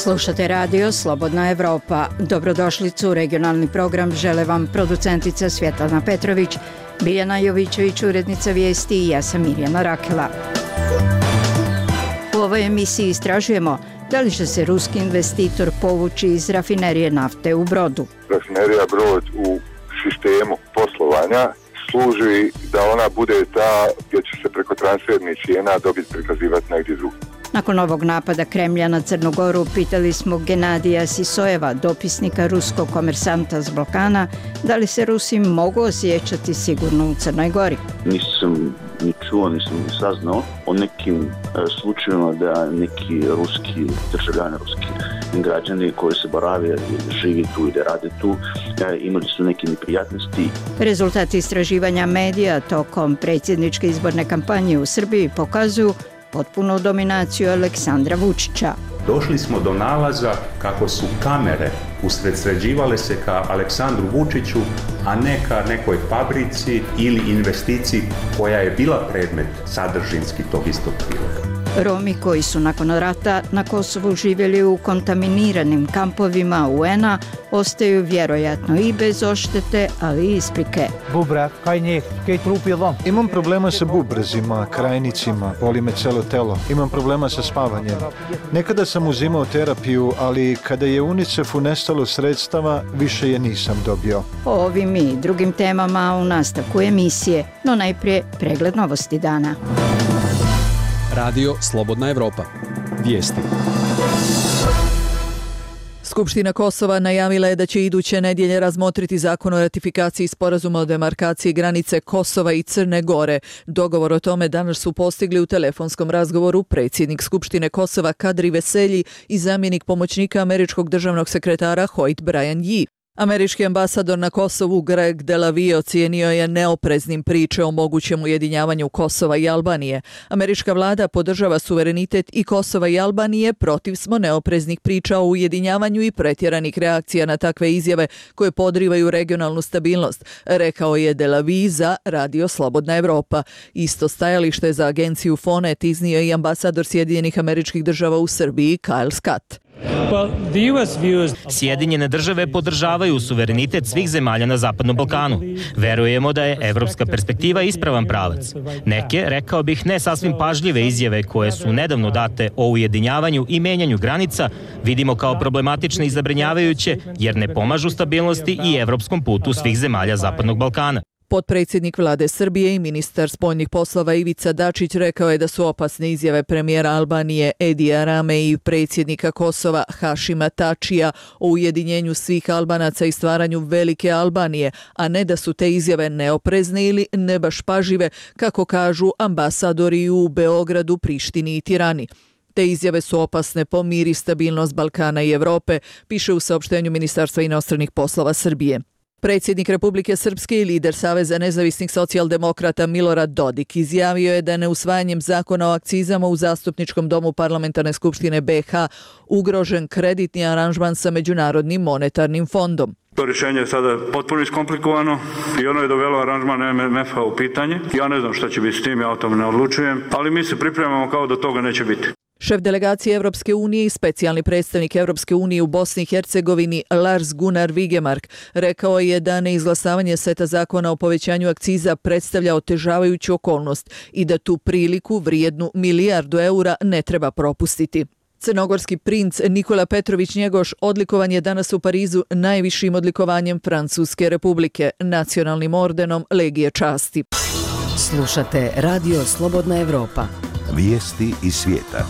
Slušate radio Slobodna Evropa. Dobrodošlicu u regionalni program žele vam producentica Svjetlana Petrović, Biljana Jovićević, urednica vijesti i ja sam Mirjana Rakela. U ovoj emisiji istražujemo da li će se ruski investitor povući iz rafinerije nafte u Brodu. Rafinerija Brod u sistemu poslovanja služi da ona bude ta gdje će se preko transfernih cijena dobiti prikazivati negdje drugdje. Nakon ovog napada Kremlja na Crnu Goru pitali smo Genadija Sisojeva, dopisnika ruskog komersanta s Balkana, da li se Rusi mogu osjećati sigurno u Crnoj Gori. Nisam ni čuo, nisam ni saznao o nekim slučajevima da neki ruski državljani, ruski građani koji se borave, živi tu i da rade tu, imali su neke neprijatnosti. Rezultati istraživanja medija tokom predsjedničke izborne kampanje u Srbiji pokazuju potpunu dominaciju Aleksandra Vučića. Došli smo do nalaza kako su kamere usredsređivale se ka Aleksandru Vučiću, a ne ka nekoj fabrici ili investiciji koja je bila predmet sadržinski tog istog priloga. Romi koji su nakon rata na Kosovu živjeli u kontaminiranim kampovima UN-a ostaju vjerojatno i bez odštete, ali i isprike. Bubrak, kaj njih, kaj trupi lom. Imam problema sa bubrezima, krajnicima, boli me celo telo. Imam problema sa spavanjem. Nekada sam uzimao terapiju, ali kada je UNICEF-u nestalo sredstava, više je nisam dobio. O ovim i drugim temama u nastavku emisije, no najprije pregled novosti dana. Radio Slobodna Evropa. Vijesti. Skupština Kosova najavila je da će iduće nedjelje razmotriti zakon o ratifikaciji sporazuma o demarkaciji granice Kosova i Crne Gore. Dogovor o tome danas su postigli u telefonskom razgovoru predsjednik Skupštine Kosova Kadri Veselji i zamjenik pomoćnika američkog državnog sekretara Hoyt Brian Yee. Američki ambasador na Kosovu Greg Delavie ocijenio je neopreznim priče o mogućem ujedinjavanju Kosova i Albanije. Američka vlada podržava suverenitet i Kosova i Albanije, protiv smo neopreznih priča o ujedinjavanju i pretjeranih reakcija na takve izjave koje podrivaju regionalnu stabilnost, rekao je Delavie za Radio Slobodna Evropa. Isto stajalište je za agenciju Fonet iznio i ambasador Sjedinjenih Američkih Država u Srbiji Kyle Scott. Sjedinjene države podržavaju suverenitet svih zemalja na Zapadnom Balkanu. Verujemo da je evropska perspektiva ispravan pravac. Neke, rekao bih, ne sasvim pažljive izjave koje su nedavno date o ujedinjavanju i menjanju granica vidimo kao problematične i zabrinjavajuće jer ne pomažu stabilnosti i evropskom putu svih zemalja Zapadnog Balkana. Potpredsjednik vlade Srbije i ministar spoljnih poslova Ivica Dačić rekao je da su opasne izjave premijera Albanije Edija Rame i predsjednika Kosova Hašima Tačija o ujedinjenju svih Albanaca i stvaranju velike Albanije, a ne da su te izjave neoprezne ili ne baš pažive, kako kažu ambasadori u Beogradu, Prištini i Tirani. Te izjave su opasne po mir i stabilnost Balkana i Evrope, piše u saopštenju Ministarstva inostranih poslova Srbije. Predsjednik Republike Srpske i lider Saveza nezavisnih socijaldemokrata Milorad Dodik izjavio je da je neusvajanjem zakona o akcizama u Zastupničkom domu Parlamentarne skupštine BiH ugrožen kreditni aranžman sa Međunarodnim monetarnim fondom. To rješenje je sada potpuno iskomplikovano i ono je dovelo aranžman MMF-a u pitanje. Ja ne znam šta će biti s tim, ja o tome ne odlučujem, ali mi se pripremamo kao da toga neće biti. Šef delegacije Evropske unije i specijalni predstavnik Evropske unije u Bosni i Hercegovini Lars Gunnar Vigemark rekao je da neizglasavanje seta zakona o povećanju akciza predstavlja otežavajuću okolnost i da tu priliku vrijednu milijardu eura ne treba propustiti. Crnogorski princ Nikola Petrović Njegoš odlikovan je danas u Parizu najvišim odlikovanjem Francuske republike, nacionalnim ordenom Legije časti. Slušate Radio Slobodna Evropa. Vijesti iz svijeta.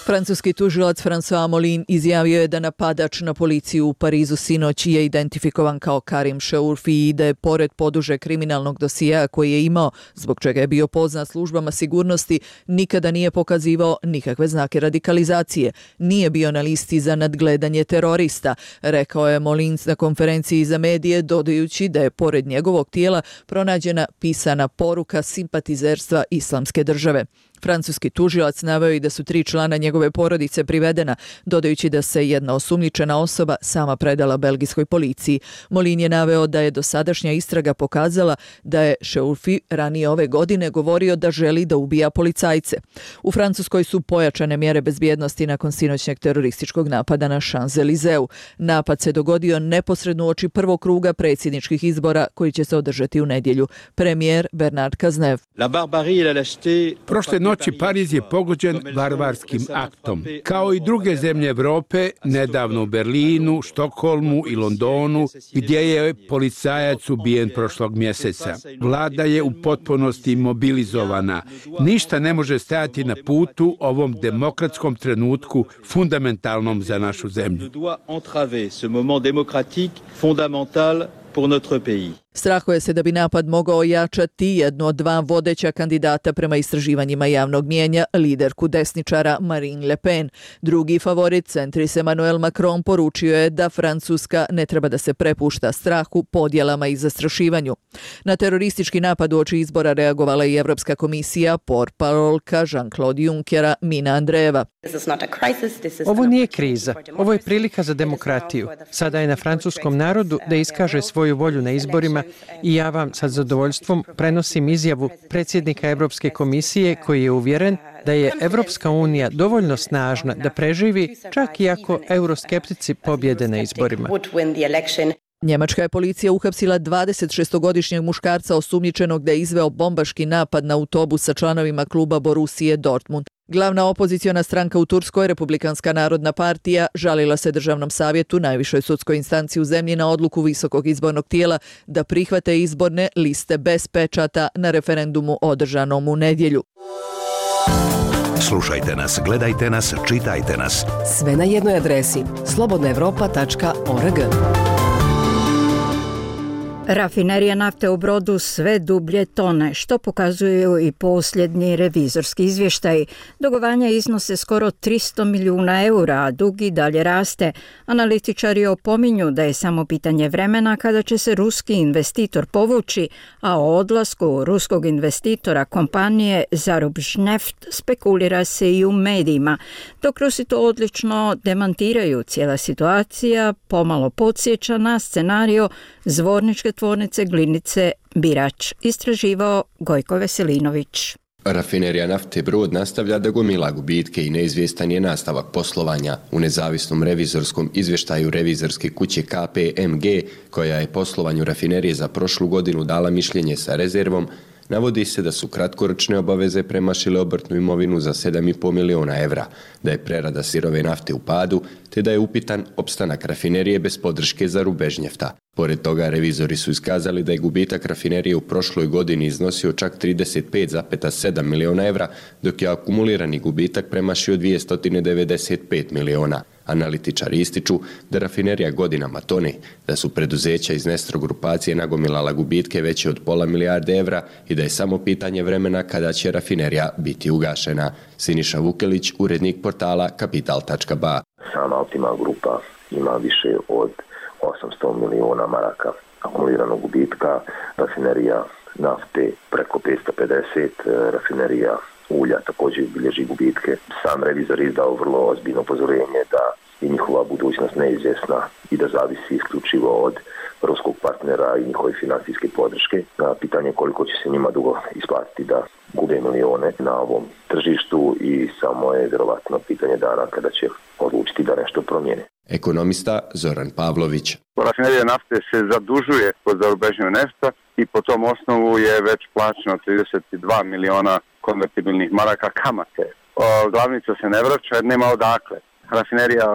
Francuski tužilac François Molin izjavio je da napadač na policiju u Parizu sinoć je identifikovan kao Karim Cheourfi i da je pored poduže kriminalnog dosijea koji je imao, zbog čega je bio poznat službama sigurnosti, nikada nije pokazivao nikakve znake radikalizacije. Nije bio na listi za nadgledanje terorista, rekao je Molin na konferenciji za medije, dodajući da je pored njegovog tijela pronađena pisana poruka simpatizerstva Islamske države. Francuski tužilac naveo i da su 3 člana njegove porodice privedena, dodajući da se jedna osumnjičena osoba sama predala belgijskoj policiji. Molin je naveo da je dosadašnja istraga pokazala da je Chauffy ranije ove godine govorio da želi da ubija policajce. U Francuskoj su pojačane mjere bezbjednosti nakon sinoćnjeg terorističkog napada na Champs-Élysées. Napad se dogodio neposredno uoči prvog kruga predsjedničkih izbora koji će se održati u nedjelju. Premijer Bernard Cazeneuve. Prošle noći Pariz je pogođen varvarskim aktom. Kao i druge zemlje Europe, nedavno u Berlinu, Štokholmu i Londonu, gdje je policajac ubijen prošlog mjeseca. Vlada je u potpunosti mobilizovana. Ništa ne može stajati na putu ovom demokratskom trenutku fundamentalnom za našu zemlju. Strahuje se da bi napad mogao ojačati jednu od 2 vodeća kandidata prema istraživanjima javnog mijenja, liderku desničara Marine Le Pen. Drugi favorit, centrist Emmanuel Macron, poručio je da Francuska ne treba da se prepušta strahu, podjelama i zastrašivanju. Na teroristički napad uoči izbora reagovala i Evropska komisija, portparolka Jean-Claude Junckera Mina Andreeva. Ovo nije kriza, ovo je prilika za demokratiju. Sada je na francuskom narodu da iskaže svoju volju na izborima i ja vam sa zadovoljstvom prenosim izjavu predsjednika Europske komisije koji je uvjeren da je Europska unija dovoljno snažna da preživi čak i ako euroskeptici pobjede na izborima. Njemačka je policija uhapsila 26-godišnjeg muškarca osumnjičenog da je izveo bombaški napad na autobus sa članovima kluba Borussije Dortmund. Glavna opoziciona stranka u Turskoj, Republikanska narodna partija, žalila se Državnom savjetu, najvišoj sudskoj instanciji u zemlji, na odluku visokog izbornog tijela da prihvate izborne liste bez pečata na referendumu održanom u nedjelju. Slušajte nas, gledajte nas, čitajte nas. Sve na jednoj adresi slobodnaevropa.org. Rafinerija nafte u Brodu sve dublje tone, što pokazuju i posljednji revizorski izvještaj. Dugovanja iznose skoro 300 milijuna eura, a dug i dalje raste. Analitičari opominju da je samo pitanje vremena kada će se ruski investitor povući, a o odlasku ruskog investitora kompanije Zarubžneft spekulira se i u medijima. Dok Rusi to odlično demantiraju, cijela situacija pomalo podsjeća na scenario Zvorničke tvornice Glinice Birač, istraživao Gojko Veselinović. Rafinerija nafte Brod nastavlja da gomila gubitke i neizvjestan je nastavak poslovanja. U nezavisnom revizorskom izvještaju revizorske kuće KPMG, koja je poslovanju rafinerije za prošlu godinu dala mišljenje sa rezervom, navodi se da su kratkoročne obaveze premašile obrtnu imovinu za 7,5 milijuna evra, da je prerada sirove nafte u padu, te da je upitan opstanak rafinerije bez podrške Zarubežnjefta. Pored toga, revizori su iskazali da je gubitak rafinerije u prošloj godini iznosio čak 35,7 milijuna evra, dok je akumulirani gubitak premašio 295 milijuna. Analitičari ističu da rafinerija godinama tone, da su preduzeća iz Nestro grupacije nagomilala gubitke veće od pola milijarde evra i da je samo pitanje vremena kada će rafinerija biti ugašena. Siniša Vukelić, urednik portala Kapital.ba. Sama Optima grupa ima više od 800 milijuna maraka akumuliranog gubitka, rafinerija nafte preko 550, rafinerija ulja također bilježi gubitke. Sam revizor je izdao vrlo ozbiljno upozorenje da je njihova budućnost neizvjesna i da zavisi isključivo od ruskog partnera i njihove financijske podrške. Pitanje je koliko će se njima dugo isplatiti da gube milijone na ovom tržištu i samo je vjerovatno pitanje dana kada će odlučiti da nešto promijene. Ekonomista Zoran Pavlović. Rafinerija nafte se zadužuje kod Zarubežnjeg nefta i po tom osnovu je već plaćeno 32 miliona konvertibilnih maraka kamate. Glavnica se ne vraća jer nema odakle. Rafinerija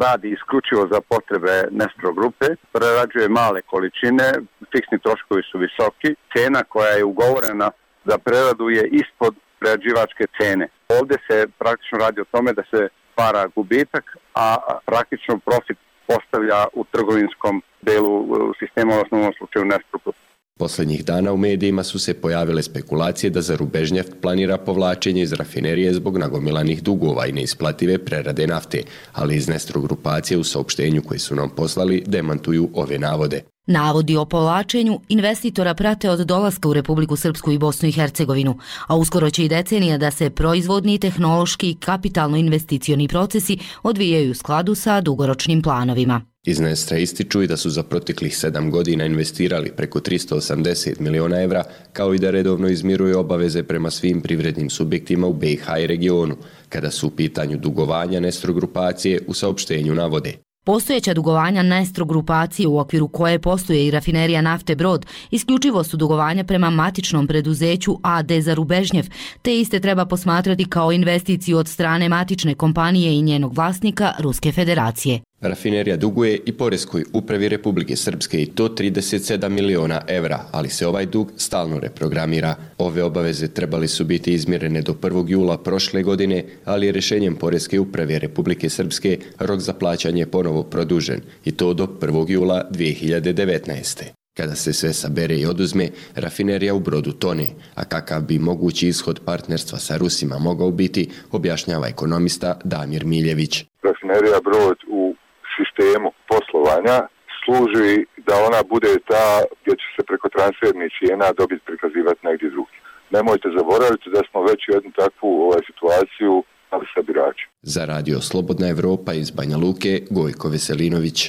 radi isključivo za potrebe Nestro grupe, prerađuje male količine, fiksni troškovi su visoki, cena koja je ugovorena za preradu je ispod prerađivačke cene. Ovdje se praktično radi o tome da se stvara gubitak, a praktično profit postavlja u trgovinskom delu sistema, u osnovnom slučaju Nestro grupe. Posljednjih dana u medijima su se pojavile spekulacije da Zarubežnjeft planira povlačenje iz rafinerije zbog nagomilanih dugova i neisplative prerade nafte, ali iz Nestro grupacije u saopštenju koje su nam poslali demantuju ove navode. Navodi o povlačenju investitora prate od dolaska u Republiku Srpsku i Bosnu i Hercegovinu, a uskoro će i decenija da se proizvodni, tehnološki i kapitalno-investicioni procesi odvijaju u skladu sa dugoročnim planovima. Iz Nestra ističu i da su za proteklih 7 godina investirali preko 380 miliona evra, kao i da redovno izmiruju obaveze prema svim privrednim subjektima u BiH i regionu, kada su u pitanju dugovanja Nestro grupacije u saopštenju navode. Postojeća dugovanja Nestro grupacije u okviru koje posluje i rafinerija nafte Brod isključivo su dugovanja prema matičnom preduzeću AD Zarubežnjev, te iste treba posmatrati kao investiciju od strane matične kompanije i njenog vlasnika Ruske federacije. Rafinerija duguje i Poreskoj upravi Republike Srpske i to 37 miliona evra, ali se ovaj dug stalno reprogramira. Ove obaveze trebali su biti izmirene do 1. jula prošle godine, ali je rješenjem Poreske uprave Republike Srpske rok za plaćanje ponovo produžen i to do 1. jula 2019. Kada se sve sabere i oduzme, rafinerija u Brodu tone, a kakav bi mogući ishod partnerstva sa Rusima mogao biti, objašnjava ekonomista Damir Miljević. Rafinerija Brod u sistemu poslovanja služi da ona bude ta gdje će se preko transfernih cijena dobiti prikazivati negdje drugdje. Nemojte zaboraviti da smo već jednu takvu situaciju ali sa biračima. Za radio Slobodna Evropa iz Banja Luke, Gojko Veselinović.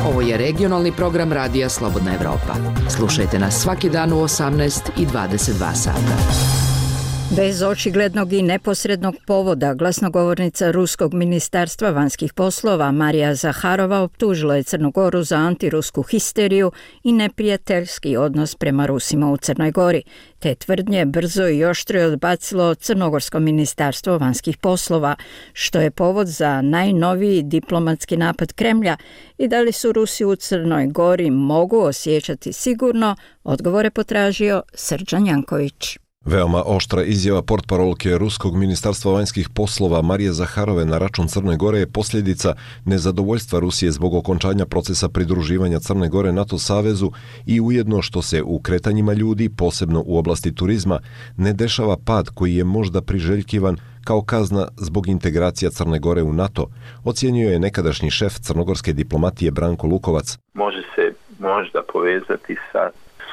Ovo je regionalni program radija Slobodna Evropa. Slušajte nas svaki dan u 18 i 22 sata. Bez očiglednog i neposrednog povoda, glasnogovornica Ruskog ministarstva vanjskih poslova Marija Zaharova optužila je Crnu Goru za antirusku histeriju i neprijateljski odnos prema Rusima u Crnoj Gori. Te tvrdnje brzo i oštro je odbacilo Crnogorsko ministarstvo vanjskih poslova, što je povod za najnoviji diplomatski napad Kremlja i da li su Rusi u Crnoj Gori mogu osjećati sigurno, odgovore potražio Srđan Janković. Veoma oštra izjava portparolke Ruskog ministarstva vanjskih poslova Marije Zaharove na račun Crne Gore je posljedica nezadovoljstva Rusije zbog okončanja procesa pridruživanja Crne Gore NATO savezu i ujedno što se u kretanjima ljudi, posebno u oblasti turizma, ne dešava pad koji je možda priželjkivan kao kazna zbog integracija Crne Gore u NATO, ocjenjuje je nekadašnji šef crnogorske diplomatije Branko Lukovac. Može se možda povezati sa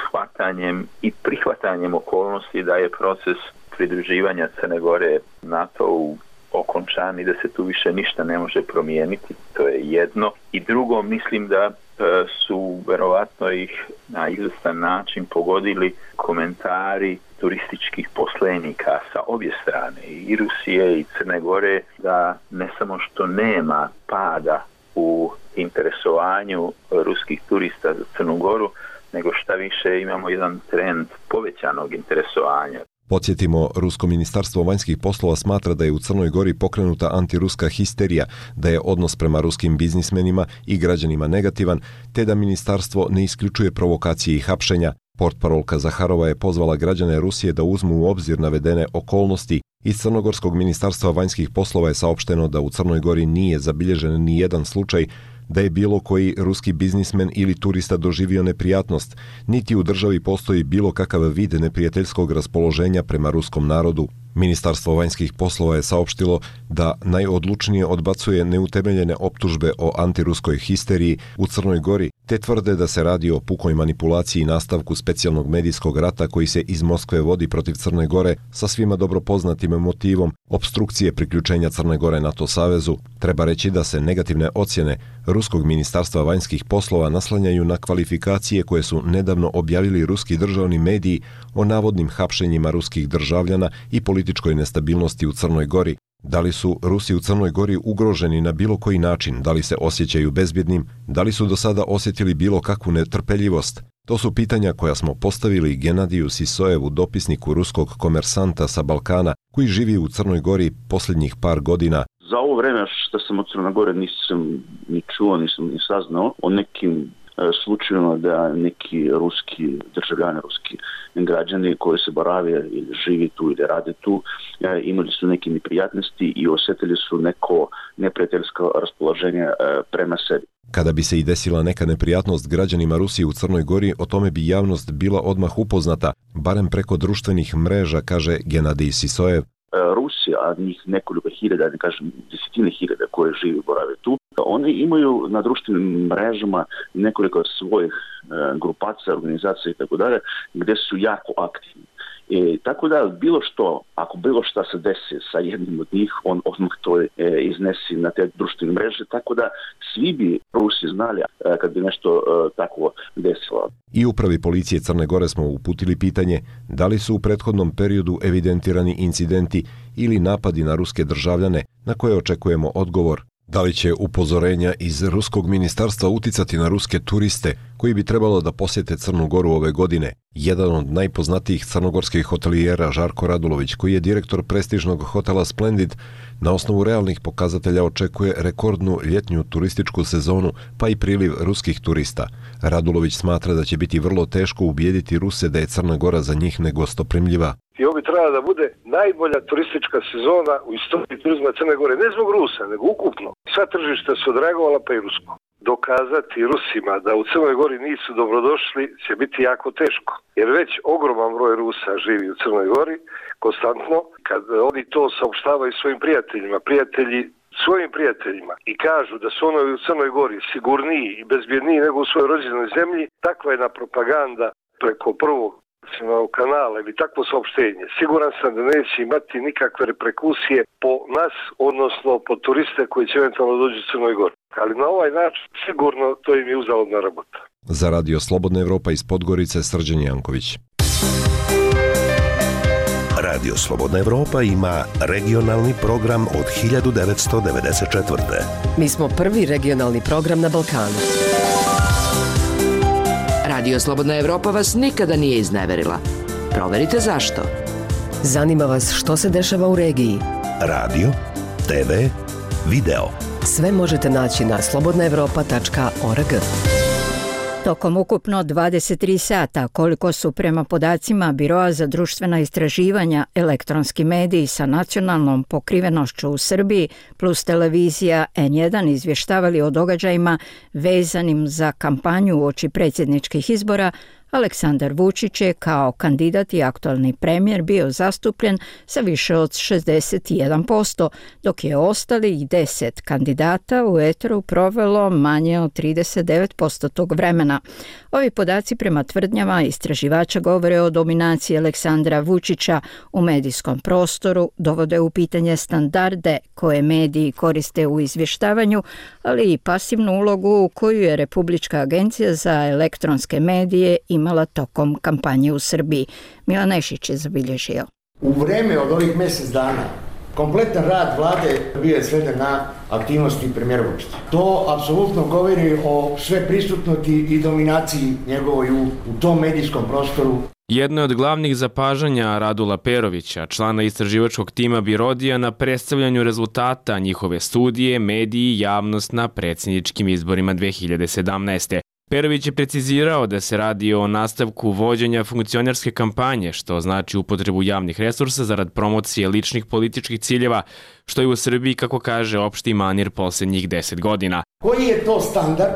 shvatanjem i prihvatanjem okolnosti da je proces pridruživanja Crne Gore NATO-u okončan i da se tu više ništa ne može promijeniti. To je jedno. I drugo, mislim da su verovatno ih na izvestan način pogodili komentari turističkih poslenika sa obje strane, i Rusije i Crne Gore, da ne samo što nema pada u interesovanju ruskih turista za Crnu Goru, nego šta više imamo jedan trend povećanog interesovanja. Podsjetimo, Rusko ministarstvo vanjskih poslova smatra da je u Crnoj Gori pokrenuta antiruska histerija, da je odnos prema ruskim biznismenima i građanima negativan, te da ministarstvo ne isključuje provokacije i hapšenja. Portparolka Zaharova je pozvala građane Rusije da uzmu u obzir navedene okolnosti. Iz Crnogorskog ministarstva vanjskih poslova je saopšteno da u Crnoj Gori nije zabilježen ni jedan slučaj da je bilo koji ruski biznismen ili turista doživio neprijatnost, niti u državi postoji bilo kakav vid neprijateljskog raspoloženja prema ruskom narodu. Ministarstvo vanjskih poslova je saopštilo da najodlučnije odbacuje neutemeljene optužbe o antiruskoj histeriji u Crnoj Gori, te tvrde da se radi o pukoj manipulaciji i nastavku specijalnog medijskog rata koji se iz Moskve vodi protiv Crne Gore sa svima dobro poznatim motivom opstrukcije priključenja Crne Gore NATO savezu. Treba reći da se negativne ocjene Ruskog ministarstva vanjskih poslova naslanjaju na kvalifikacije koje su nedavno objavili ruski državni mediji o navodnim hapšenjima ruskih državljana i političkoj nestabilnosti u Crnoj Gori. Da li su Rusi u Crnoj Gori ugroženi na bilo koji način, da li se osjećaju bezbjednim, da li su do sada osjetili bilo kakvu netrpeljivost? To su pitanja koja smo postavili Genadiju Sisojevu, dopisniku ruskog komersanta sa Balkana, koji živi u Crnoj Gori posljednjih par godina. Za ovo vreme što sam od Crne Gore nisam ni čuo, nisam ni saznao o nekim slučajevima da neki ruski državljani, ruski građani koji se borave ili živi tu ili rade tu, imali su neke neprijatnosti i osjetili su neko neprijateljsko raspoloženje prema sebi. Kada bi se i desila neka neprijatnost građanima Rusije u Crnoj Gori, o tome bi javnost bila odmah upoznata, barem preko društvenih mreža, kaže Genadij Sisojev. Rusi, a njih nekoliko hiljada, ne kažem desetine hiljada koje žive i borave tu, oni imaju na društvenim mrežama nekoliko svojih grupacija, organizacija i tako dalje, gdje su jako aktivni. Tako da ako bilo šta se desi sa jednim od njih, on odmah to iznesi na te društvene mreže, tako da svi bi Rusi znali kad bi nešto tako desilo. I upravi policije Crne Gore smo uputili pitanje da li su u prethodnom periodu evidentirani incidenti ili napadi na ruske državljane, na koje očekujemo odgovor. Da li će upozorenja iz ruskog ministarstva uticati na ruske turiste koji bi trebalo da posjete Crnu Goru ove godine? Jedan od najpoznatijih crnogorskih hotelijera, Žarko Radulović, koji je direktor prestižnog hotela Splendid, na osnovu realnih pokazatelja očekuje rekordnu ljetnju turističku sezonu, pa i priliv ruskih turista. Radulović smatra da će biti vrlo teško ubijediti Ruse da je Crna Gora za njih negostoprimljiva. I ovo bi trebala da bude najbolja turistička sezona u istoriji turizma Crne Gore, ne zbog Rusa, nego ukupno. Sva tržišta su odreagovala, pa i rusko. Dokazati Rusima da u Crnoj Gori nisu dobrodošli će biti jako teško. Jer već ogroman broj Rusa živi u Crnoj Gori, konstantno. Kad oni to saopštavaju svojim svojim prijateljima i kažu da su oni u Crnoj Gori sigurniji i bezbjedniji nego u svojoj rođenoj zemlji, takva jedna propaganda preko prvog kanala ili takvo saopštenje, siguran sam da neće imati nikakve reperkusije po nas, odnosno po turiste koji će eventualno doći u Crnoj Gori. Ali na ovaj način sigurno to im je uzaludna rabota. Za Radio Slobodna Evropa iz Podgorice, Srđan Janković. Radio Slobodna Evropa ima regionalni program od 1994. Mi smo prvi regionalni program na Balkanu. Radio Slobodna Evropa vas nikada nije izneverila. Proverite zašto. Zanima vas što se dešava u regiji. Radio, TV, video. Sve možete naći na slobodnaevropa.org. Tokom ukupno 23 sata, koliko su prema podacima Biroa za društvena istraživanja elektronski mediji sa nacionalnom pokrivenošću u Srbiji plus televizija N1 izvještavali o događajima vezanim za kampanju uoči predsjedničkih izbora, Aleksandar Vučić je kao kandidat i aktualni premijer bio zastupljen sa više od 61%, dok je ostalih 10 kandidata u eteru provelo manje od 39% tog vremena. Ovi podaci prema tvrdnjama istraživača govore o dominaciji Aleksandra Vučića u medijskom prostoru, dovode u pitanje standarde koje mediji koriste u izvještavanju, ali i pasivnu ulogu koju je Republička agencija za elektronske medije imala tokom kampanje u Srbiji. Milan Nešić je zabilježio. U vreme od ovih mjesec dana kompletan rad vlade bio je sveden na aktivnosti premijera Vučića. To apsolutno govori o sve prisutnosti i dominaciji njegovoj u tom medijskom prostoru. Jedno od glavnih zapažanja Radula Perovića, člana istraživačkog tima Birodija, na predstavljanju rezultata njihove studije, mediji i javnost na predsjedničkim izborima 2017. Perović je precizirao da se radi o nastavku vođenja funkcionerske kampanje, što znači upotrebu javnih resursa zarad promocije ličnih političkih ciljeva, što je u Srbiji, kako kaže, opšti manir posljednjih 10 godina. Koji je to standard,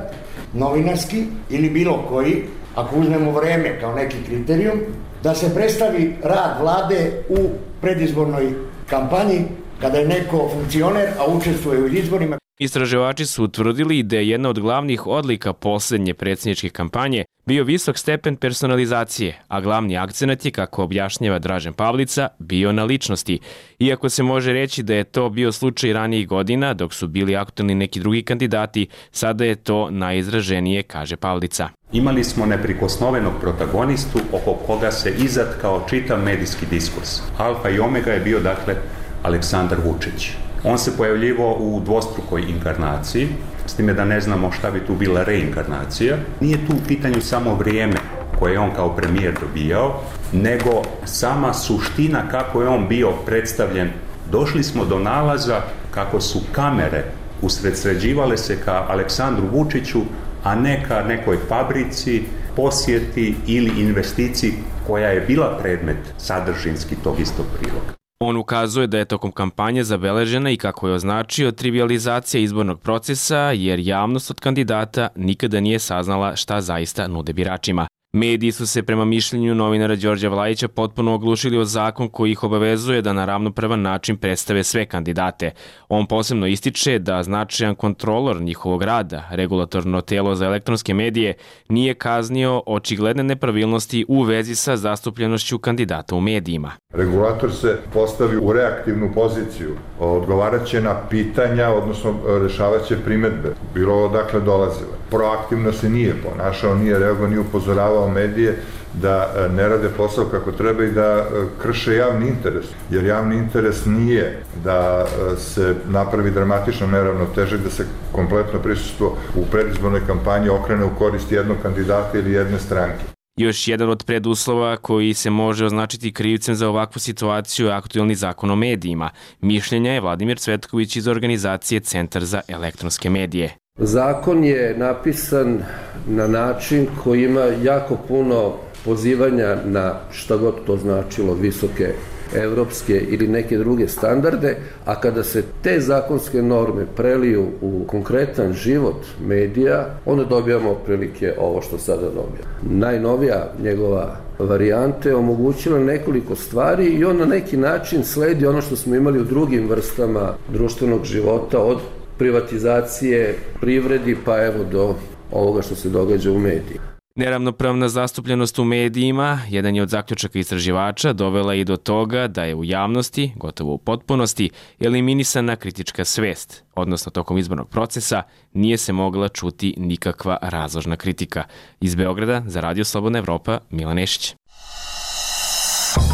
novinarski ili bilo koji, ako uzmemo vreme kao neki kriterijum, da se predstavi rad vlade u predizbornoj kampanji kada je neko funkcioner, a učestvuje u izborima? Istraživači su utvrdili da je jedna od glavnih odlika posljednje predsjedničke kampanje bio visok stepen personalizacije, a glavni akcenat je, kako objašnjava Dražen Pavlica, bio na ličnosti. Iako se može reći da je to bio slučaj ranijih godina, dok su bili aktualni neki drugi kandidati, sada je to najizraženije, kaže Pavlica. Imali smo neprikosnovenog protagonistu oko koga se izatkao čitav medijski diskurs. Alfa i omega je bio, dakle, Aleksandar Vučić. On se pojavljivao u dvostrukoj inkarnaciji, s time da ne znamo šta bi tu bila reinkarnacija. Nije tu u pitanju samo vrijeme koje je on kao premijer dobijao, nego sama suština kako je on bio predstavljen. Došli smo do nalaza kako su kamere usredsređivale se ka Aleksandru Vučiću, a ne ka nekoj fabrici, posjeti ili investiciji koja je bila predmet sadržinski tog istog priloga. On ukazuje da je tokom kampanje zabeležena i, kako je označio, trivijalizacija izbornog procesa, jer javnost od kandidata nikada nije saznala šta zaista nude biračima. Mediji su se prema mišljenju novinara Đorđa Vlajića potpuno oglušili o zakon koji ih obavezuje da na ravnopravan način predstave sve kandidate. On posebno ističe da značajan kontrolor njihovog rada, regulatorno telo za elektronske medije, nije kaznio očigledne nepravilnosti u vezi sa zastupljenošću kandidata u medijima. Regulator se postavi u reaktivnu poziciju, odgovarat će na pitanja, odnosno rešavat će primedbe, bilo odakle dolazile. Proaktivno se nije ponašao, nije reagovao, nije upozoravao medije da ne rade posao kako treba i da krše javni interes. Jer javni interes nije da se napravi dramatično neravnotežak, da se kompletno prisustvo u predizbornoj kampanji okrene u korist jednog kandidata ili jedne stranke. Još jedan od preduslova koji se može označiti krivcem za ovakvu situaciju je aktuelni zakon o medijima. Mišljenja je Vladimir Cvetković iz organizacije Centar za elektronske medije. Zakon je napisan na način koji ima jako puno pozivanja na šta god to značilo visoke evropske ili neke druge standarde, a kada se te zakonske norme preliju u konkretan život medija, onda dobijamo otprilike ovo što sada dobijamo. Najnovija njegova varijante omogućila nekoliko stvari i on na neki način sledi ono što smo imali u drugim vrstama društvenog života, od privatizacije privredi pa evo do ovoga što se događa u mediji. Neravnopravna zastupljenost u medijima, jedan je od zaključaka istraživača, dovela i do toga da je u javnosti, gotovo u potpunosti, eliminisana kritička svest, odnosno tokom izbornog procesa nije se mogla čuti nikakva razložna kritika. Iz Beograda za Radio Slobodna Evropa, Milan Nešić.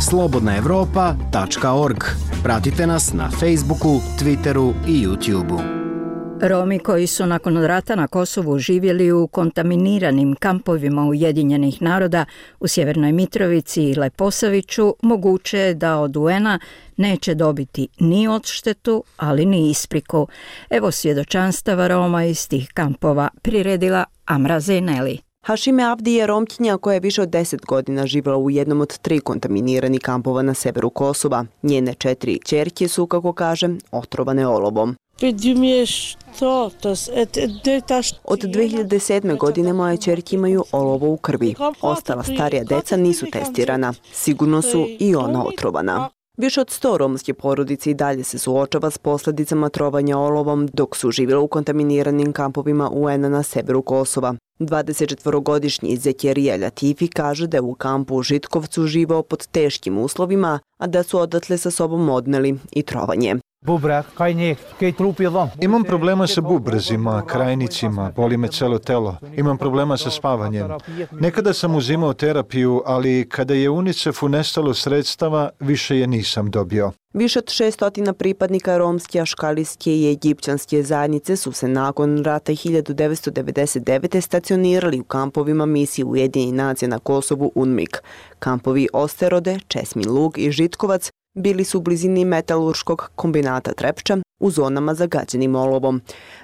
slobodnaevropa.org. Pratite nas na Facebooku, Twitteru i YouTubeu. Romi koji su nakon rata na Kosovu živjeli u kontaminiranim kampovima Ujedinjenih naroda u Sjevernoj Mitrovici i Leposaviću moguće je da od UN-a neće dobiti ni odštetu, ali ni ispriku. Evo svjedočanstava Roma iz tih kampova, priredila Amra Zeneli. Hašime Avdi je Romkinja koja je više od 10 godina živjela u jednom od 3 kontaminirani kampova na severu Kosova. Njene 4 kćerke su, kako kaže, otrovane olovom. Od 2007. godine moje kćerke imaju olovo u krvi. Ostala starija deca nisu testirana. Sigurno su i ona otrovana. Više od 100 romske porodice i dalje se suočava s posljedicama trovanja olovom dok su živjela u kontaminiranim kampovima UN-a na severu Kosova. 24-godišnji Zekirija Latifi kaže da je u kampu u Žitkovcu živao pod teškim uslovima, a da su odatle sa sobom odneli i trovanje. Imam problema sa bubrezima, krajnicima, boli me celo telo. Imam problema sa spavanjem. Nekada sam uzimao terapiju, ali kada je UNICEF-u nestalo sredstava, više je nisam dobio. Više od 600 pripadnika romske, aškalijske i egipćanske zajednice su se nakon rata 1999. stacionirali u kampovima misije Ujedinjenih nacija na Kosovu UNMIK. Kampovi Osterode, Česmin Lug i Žitkovac bili su u blizini metalurškog kombinata Trepča u zonama zagađenim olovom.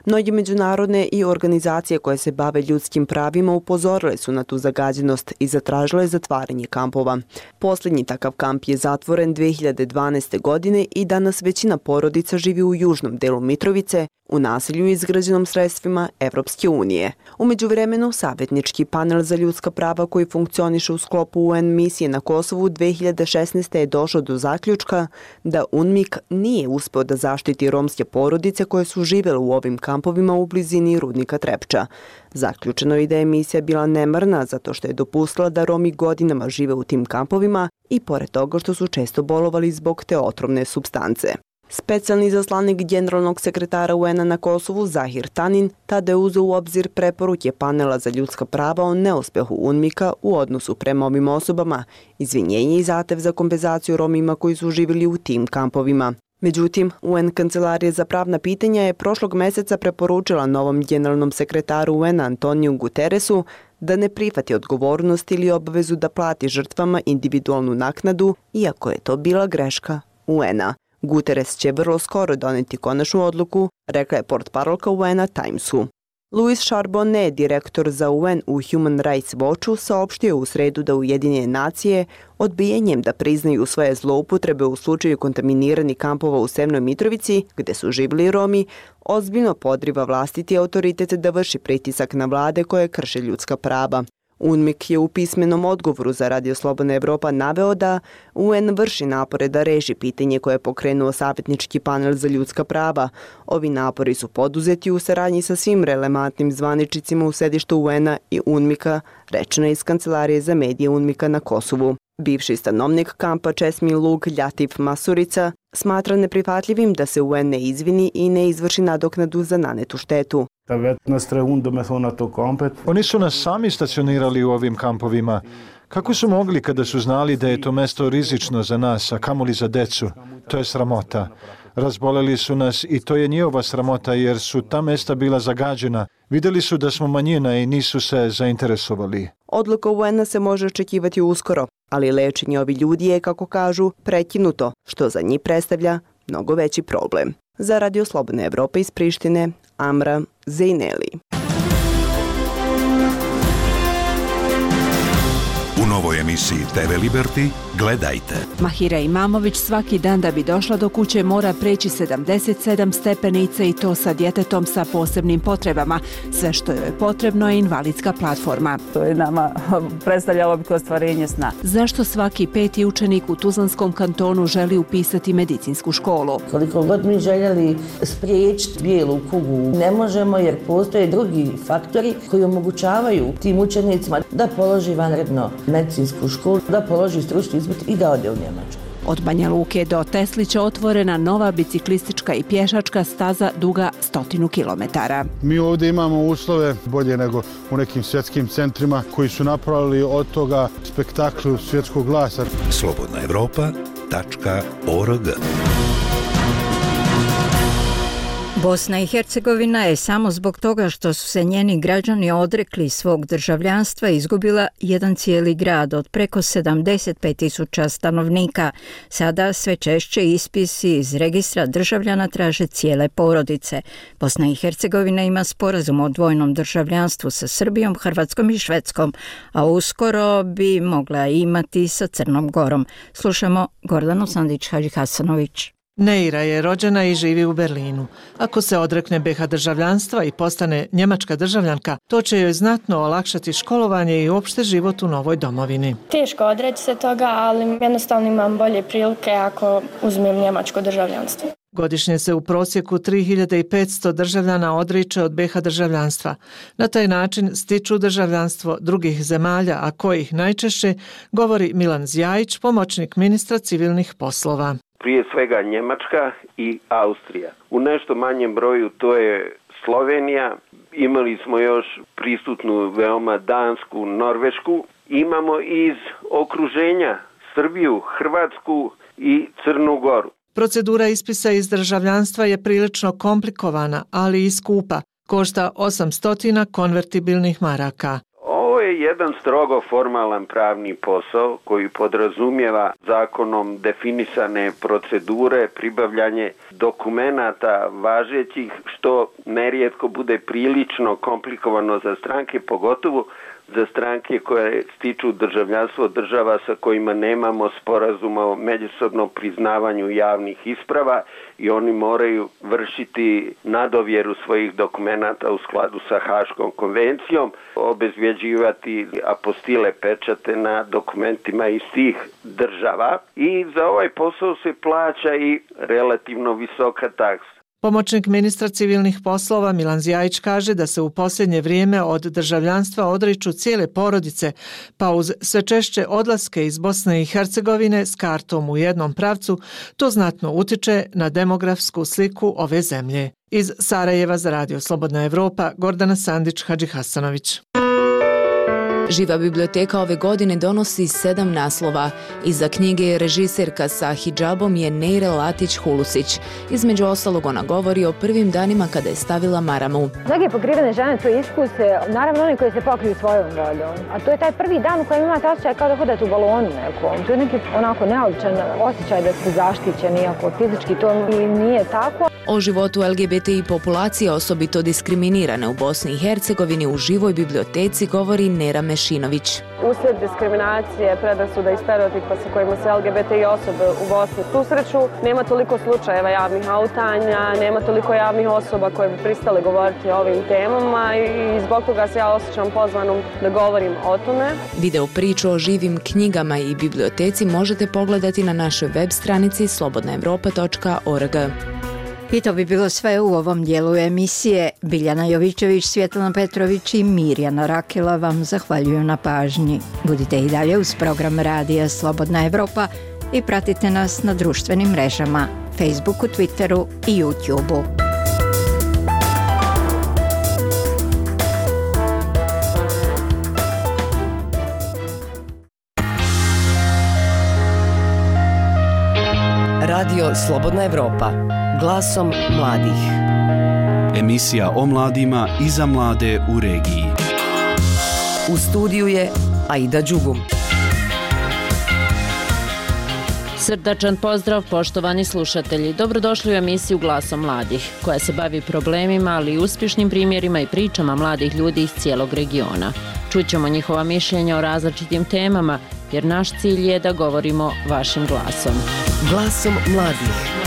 Mnogi međunarodne i organizacije koje se bave ljudskim pravima upozorile su na tu zagađenost i zatražile zatvaranje kampova. Posljednji takav kamp je zatvoren 2012. godine i danas većina porodica živi u južnom delu Mitrovice, u naselju izgrađenom sredstvima Evropske unije. U međuvremenu, savjetnički panel za ljudska prava koji funkcioniše u sklopu UN misije na Kosovu 2016. je došao do zaključka da UNMIK nije uspeo da zaštiti romske porodice koje su živjele u ovim kampovima u blizini rudnika Trepča. Zaključeno je da je misija bila nemarna zato što je dopustila da Romi godinama žive u tim kampovima i pored toga što su često bolovali zbog te otrovne supstance. Specijalni izaslanik generalnog sekretara UN-a na Kosovu Zahir Tanin tada je uzeo u obzir preporuke panela za ljudska prava o neuspehu UNMIK-a u odnosu prema ovim osobama, izvinjenje i zahtev za kompenzaciju Romima koji su živjeli u tim kampovima. Međutim, UN Kancelarija za pravna pitanja je prošlog mjeseca preporučila novom generalnom sekretaru UN-a Antoniju Guterresu da ne prihvati odgovornost ili obavezu da plati žrtvama individualnu naknadu, iako je to bila greška UN-a. Guterres će vrlo skoro doneti konačnu odluku, rekla je portparolka UN-a Timesu. Louis Charbonnet, direktor za UN u Human Rights Watchu, saopštio u sredu da Ujedinjene nacije odbijenjem da priznaju svoje zloupotrebe u slučaju kontaminiranih kampova u Severnoj Mitrovici, gde su živjeli Romi, ozbiljno podriva vlastiti autoritet da vrši pritisak na vlade koje krše ljudska prava. UNMIK je u pismenom odgovoru za Radio Slobodna Evropa naveo da UN vrši napore da reši pitanje koje je pokrenuo savjetnički panel za ljudska prava. Ovi napori su poduzeti u saradnji sa svim relevantnim zvaničnicima u sedištu UN-a i UNMIK-a, rečeno iz Kancelarije za medije UNMIK-a na Kosovu. Bivši stanovnik kampa Česmi Lug Ljatif Masurica smatra neprihvatljivim da se UN ne izvini i ne izvrši nadoknadu za nanetu štetu. Oni su nas sami stacionirali u ovim kampovima. Kako su mogli kada su znali da je to mesto rizično za nas, a kamoli za decu? To je sramota. Razboleli su nas i to je njihova sramota jer su ta mesta bila zagađena. Vidjeli su da smo manjina i nisu se zainteresovali. Odluka UN-a se može očekivati uskoro, ali lečenje ovih ljudi je, kako kažu, prekinuto, što za njih predstavlja mnogo veći problem. Za Radio Slobodne Evrope iz Prištine, Amra Zejneli. U novoj emisiji TV Liberty gledajte. Mahira Imamović svaki dan da bi došla do kuće mora preći 77 stepenica i to sa djetetom sa posebnim potrebama. Sve što joj je potrebno je invalidska platforma. To je nama predstavljalo bi ostvarenje sna. Zašto svaki 5. učenik u Tuzlanskom kantonu želi upisati medicinsku školu? Koliko god mi željeli spriječiti bijelu kugu, ne možemo jer postoje drugi faktori koji omogućavaju tim učenicima da položi vanredno medicinsku školu, da položi stručni ispit i da ode u Njemačku. Od Banja Luke do Teslića otvorena nova biciklistička i pješačka staza duga 100 km. Mi ovdje imamo uslove bolje nego u nekim svjetskim centrima koji su napravili od toga spektakl svjetskog glasa. slobodnaevropa.org. Bosna i Hercegovina je samo zbog toga što su se njeni građani odrekli svog državljanstva izgubila jedan cijeli grad od preko 75.000 stanovnika. Sada sve češće ispisi iz registra državljana traže cijele porodice. Bosna i Hercegovina ima sporazum o dvojnom državljanstvu sa Srbijom, Hrvatskom i Švedskom, a uskoro bi mogla imati sa Crnom Gorom. Slušamo Gordanu Sandić-Hadžihasanović. Neira je rođena i živi u Berlinu. Ako se odrekne BiH državljanstva i postane njemačka državljanka, to će joj znatno olakšati školovanje i uopšte život u novoj domovini. Teško odreći se toga, ali jednostavno imam bolje prilike ako uzmem njemačko državljanstvo. Godišnje se u prosjeku 3500 državljana odriče od BiH državljanstva. Na taj način stiču državljanstvo drugih zemalja, a kojih najčešće, govori Milan Zjajić, pomoćnik ministra civilnih poslova. Prije svega Njemačka i Austrija. U nešto manjem broju to je Slovenija. Imali smo još prisutnu veoma Dansku, Norvešku. Imamo iz okruženja Srbiju, Hrvatsku i Crnu Goru. Procedura ispisa iz državljanstva je prilično komplikovana, ali i skupa. Košta 800 konvertibilnih maraka. Ovo je jedan strogo formalan pravni posao koji podrazumijeva zakonom definisane procedure, pribavljanje dokumenata važećih, što nerijetko bude prilično komplikovano za stranke, pogotovo za stranke koje stiču državljanstvo država sa kojima nemamo sporazuma o međusobnom priznavanju javnih isprava i oni moraju vršiti nadovjeru svojih dokumenata u skladu sa Haškom konvencijom, obezvjeđivati apostile pečate na dokumentima iz tih država i za ovaj posao se plaća i relativno visoka taksa. Pomoćnik ministra civilnih poslova Milan Zjajić kaže da se u posljednje vrijeme od državljanstva odriču cijele porodice, pa uz sve češće odlaske iz Bosne i Hercegovine s kartom u jednom pravcu, to znatno utiče na demografsku sliku ove zemlje. Iz Sarajeva za Radio Slobodna Evropa, Gordana Sandić-Hadžihasanović. Živa biblioteka ove godine donosi 7 naslova. Iza knjige režiserka sa hidžabom je Neira Latić-Hulusić. Između ostalog ona govori o prvim danima kada je stavila maramu. Mnoge pokrivene žene to iskuse, naravno oni koji se pokriju svojom voljom. A to je taj prvi dan u kojem imate osjećaj kao da hodate u balonu nekom. To je neki onako neobičan osjećaj da ste zaštićeni, iako fizički to i nije tako. O životu LGBTI populacije, osobito diskriminirane u Bosni i Hercegovini, u živoj biblioteci govori Nera Mešanović. Lešinović. Uslijed diskriminacije, predrasuda i stereotipa sa kojima se LGBTI osobe u Bosni susreću, nema toliko slučajeva javnih autanja, nema toliko javnih osoba koje bi pristale govoriti o ovim temama i zbog toga se ja osjećam pozvanom da govorim o tome. Video priču o živim knjigama i biblioteci možete pogledati na našoj web stranici slobodnaevropa.org. I to bi bilo sve u ovom dijelu emisije. Biljana Jovićević, Svjetlana Petrović i Mirjana Rakela vam zahvaljuju na pažnji. Budite i dalje uz program Radija Slobodna Evropa i pratite nas na društvenim mrežama, Facebooku, Twitteru i YouTubeu. Radio Slobodna Evropa. Glasom mladih. Emisija o mladima i za mlade u regiji. U studiju je Aida Đugum. Srdačan pozdrav, poštovani slušatelji. Dobrodošli u emisiju Glasom mladih, koja se bavi problemima, ali i uspješnim primjerima i pričama mladih ljudi iz cijelog regiona. Čućemo njihova mišljenja o različitim temama, jer naš cilj je da govorimo vašim glasom. Glasom mladih.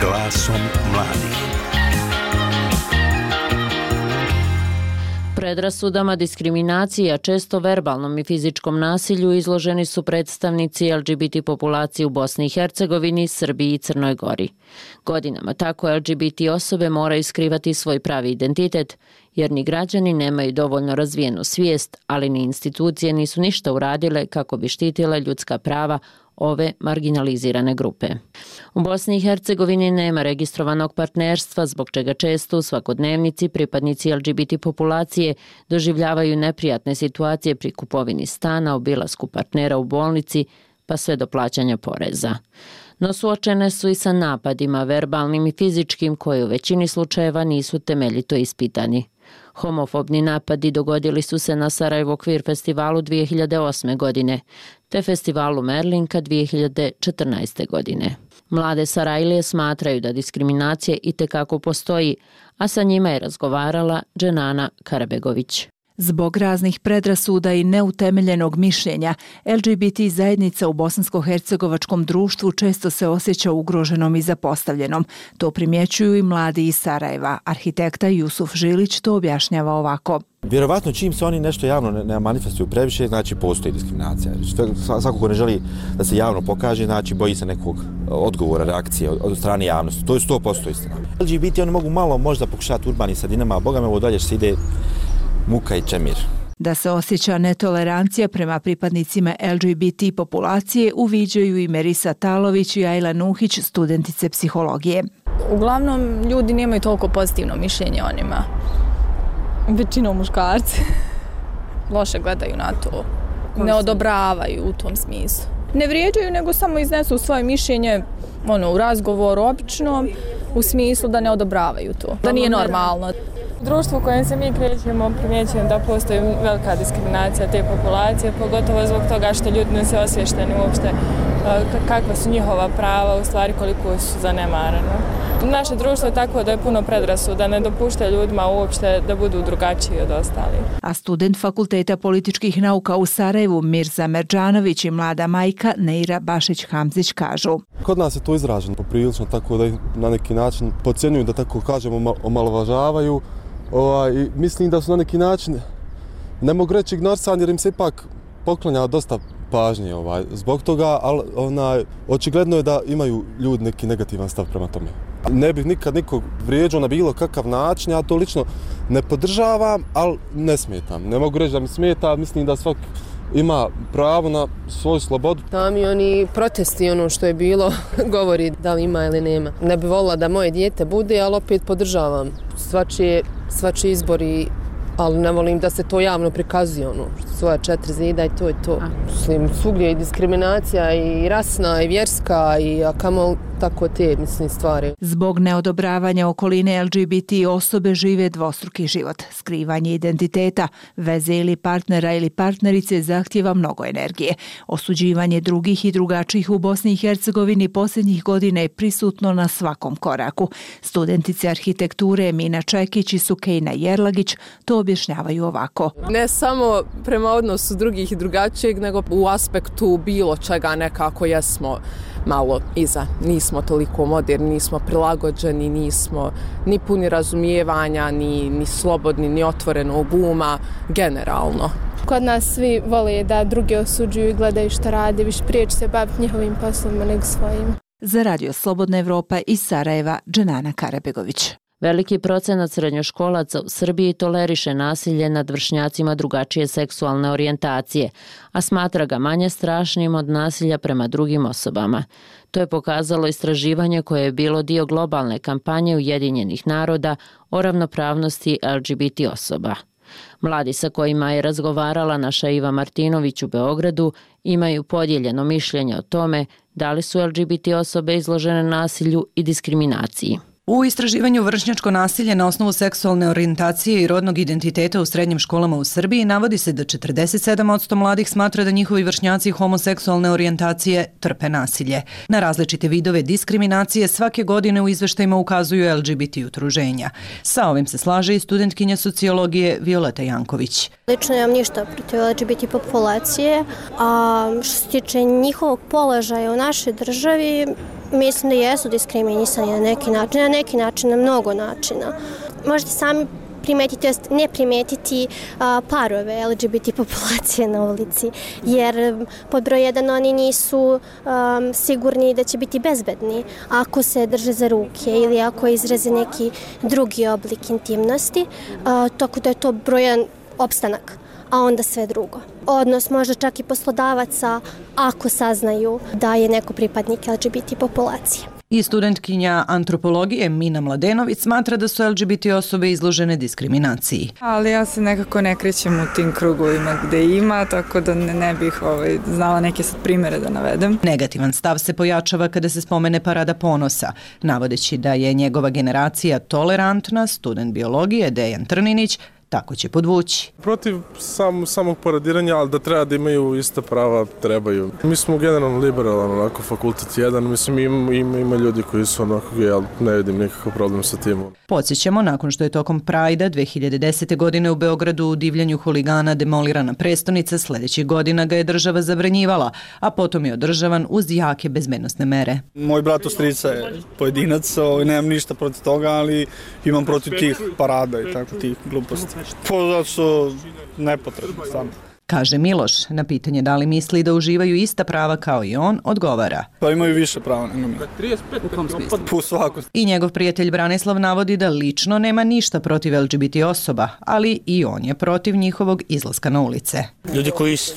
Glasom mladih. Predrasudama, diskriminaciji, a često verbalnom i fizičkom nasilju izloženi su predstavnici LGBT populacije u Bosni i Hercegovini, Srbiji i Crnoj Gori. Godinama tako LGBT osobe moraju skrivati svoj pravi identitet, jer ni građani nemaju dovoljno razvijenu svijest, ali ni institucije nisu ništa uradile kako bi štitile ljudska prava ove marginalizirane grupe. U Bosni i Hercegovini nema registrovanog partnerstva, zbog čega često u svakodnevnici pripadnici LGBT populacije doživljavaju neprijatne situacije pri kupovini stana, obilasku partnera u bolnici, pa sve do plaćanja poreza. No suočene su i sa napadima, verbalnim i fizičkim, koji u većini slučajeva nisu temeljito ispitani. Homofobni napadi dogodili su se na Sarajevo Queer festivalu 2008. godine, te festivalu Merlinka 2014. godine. Mlade Sarajlije smatraju da diskriminacija itekako postoji, a sa njima je razgovarala Dženana Karabegović. Zbog raznih predrasuda i neutemeljenog mišljenja, LGBT zajednica u bosansko-hercegovačkom društvu često se osjeća ugroženom i zapostavljenom. To primjećuju i mladi iz Sarajeva. Arhitekta Jusuf Žilić to objašnjava ovako. Vjerovatno čim se oni nešto javno ne manifestuju previše, znači postoji diskriminacija. Svako ko ne želi da se javno pokaže, znači boji se nekog odgovora, reakcije od strane javnosti. To je 100% istina. LGBT oni mogu malo možda pokušati urbanim sredinama, a boga me ovo dalje se ide muka i čemir. Da se osjeća netolerancija prema pripadnicima LGBT populacije uviđaju i Merisa Talović i Ajla Nuhić, studentice psihologije. Uglavnom, ljudi nemaju toliko pozitivno mišljenje o njima. Većinom muškarci. Loše gledaju na to. Ne odobravaju u tom smislu. Ne vrijeđaju, nego samo iznesu svoje mišljenje u razgovoru obično, u smislu da ne odobravaju to. Da nije normalno. U društvu u kojem se mi krećemo primjećujem da postoji velika diskriminacija te populacije, pogotovo zbog toga što ljudi ne se osvješteni uopšte kakva su njihova prava, u stvari koliko su zanemareno. Naše društvo je tako da je puno predrasuda, ne dopušta ljudima uopšte da budu drugačiji od ostalih. A student Fakulteta političkih nauka u Sarajevu Mirza Merđanović i mlada majka Neira Bašić-Hamzić kažu. Kod nas je to izraženo poprilično tako da ih na neki način podcjenjuju, da tako kažemo, omalovažavaju. I mislim da su na neki način, ne mogu reći ignorisani jer im se ipak poklanja dosta pažnje zbog toga, ali očigledno je da imaju ljudi neki negativan stav prema tome. Ne bih nikad nikog vrijeđao na bilo kakav način, ja to lično ne podržavam, ali ne smetam. Ne mogu reći da mi smeta, mislim da svak ima pravo na svoju slobodu. Sami oni protesti, ono što je bilo, govori da li ima ili nema. Ne bi volila da moje dijete bude, ali opet podržavam svačiji izbor, ali ne volim da se to javno prikazuje, svoja 4 zida i to je to. Mislim, svugdje je diskriminacija i rasna i vjerska i kamo tako te stvari. Zbog neodobravanja okoline LGBT osobe žive dvostruki život. Skrivanje identiteta, veze ili partnera ili partnerice zahtjeva mnogo energije. Osuđivanje drugih i drugačijih u Bosni i Hercegovini posljednjih godina je prisutno na svakom koraku. Studentice arhitekture Mina Čekić i Sukejna Jerlagić to objašnjavaju ovako. Ne samo prema odnosu drugih i drugačijeg, nego u aspektu bilo čega nekako jesmo malo iza. Nismo toliko moderni, nismo prilagođeni, nismo ni puni razumijevanja, ni slobodni, ni otvorenog uma, generalno. Kod nas svi vole da drugi osuđuju i gledaju što rade, više prije će se baviti njihovim poslovima nego svojim. Za Radio Slobodna Evropa iz Sarajeva, Dženana Karabegović. Veliki procenat srednjoškolaca u Srbiji toleriše nasilje nad vršnjacima drugačije seksualne orijentacije, a smatra ga manje strašnim od nasilja prema drugim osobama. To je pokazalo istraživanje koje je bilo dio globalne kampanje Ujedinjenih naroda o ravnopravnosti LGBT osoba. Mladi sa kojima je razgovarala naša Iva Martinović u Beogradu imaju podijeljeno mišljenje o tome da li su LGBT osobe izložene nasilju i diskriminaciji. U istraživanju vršnjačko nasilje na osnovu seksualne orijentacije i rodnog identiteta u srednjim školama u Srbiji navodi se da 47% mladih smatra da njihovi vršnjaci homoseksualne orijentacije trpe nasilje. Na različite vidove diskriminacije svake godine u izveštajima ukazuju LGBT udruženja. Sa ovim se slaže i studentkinja sociologije Violeta Janković. Lično nemam ništa protiv LGBT populacije, a što se tiče njihovog položaja u našoj državi, mislim da jesu diskriminisani na neki način, na mnogo načina. Možete sami primetiti, to ne primetiti parove LGBT populacije na ulici, jer pod broj 1 oni nisu sigurni da će biti bezbedni ako se drže za ruke ili ako izraze neki drugi oblik intimnosti, tako da je to broj 1 opstanak, a onda sve drugo. Odnos možda čak i poslodavaca ako saznaju da je neko pripadnik LGBT populacije. I studentkinja antropologije Mina Mladenović smatra da su LGBT osobe izložene diskriminaciji. Ali ja se nekako ne krećem u tim krugovima gde ima, tako da ne bih znala neke sad primere da navedem. Negativan stav se pojačava kada se spomene Parada ponosa, navodeći da je njegova generacija tolerantna, student biologije Dejan Trninić tako će podvući. Protiv samog paradiranja, ali da treba da imaju ista prava, trebaju. Mi smo generalno liberalan, onako, fakultet jedan, mislim ima ljudi koji su onako, ja ne vidim nikakav problem sa tim. Podsjećamo, nakon što je tokom Prajda 2010. godine u Beogradu u divljanju huligana demolirana prestonica, sljedećih godina ga je država zabranjivala, a potom je održavan uz jake bezbednosne mere. Moj brat od strica je pojedinac, nemam ništa protiv toga, ali imam protiv tih parada i tako tih gluposti. Zato su nepotrebni samo. Kaže Miloš, na pitanje da li misli da uživaju ista prava kao i on, odgovara. Pa imaju više prava nego mi. 35 u kom smislu? U svakom. I njegov prijatelj Branislav navodi da lično nema ništa protiv LGBT osoba, ali i on je protiv njihovog izlaska na ulice. Ljudi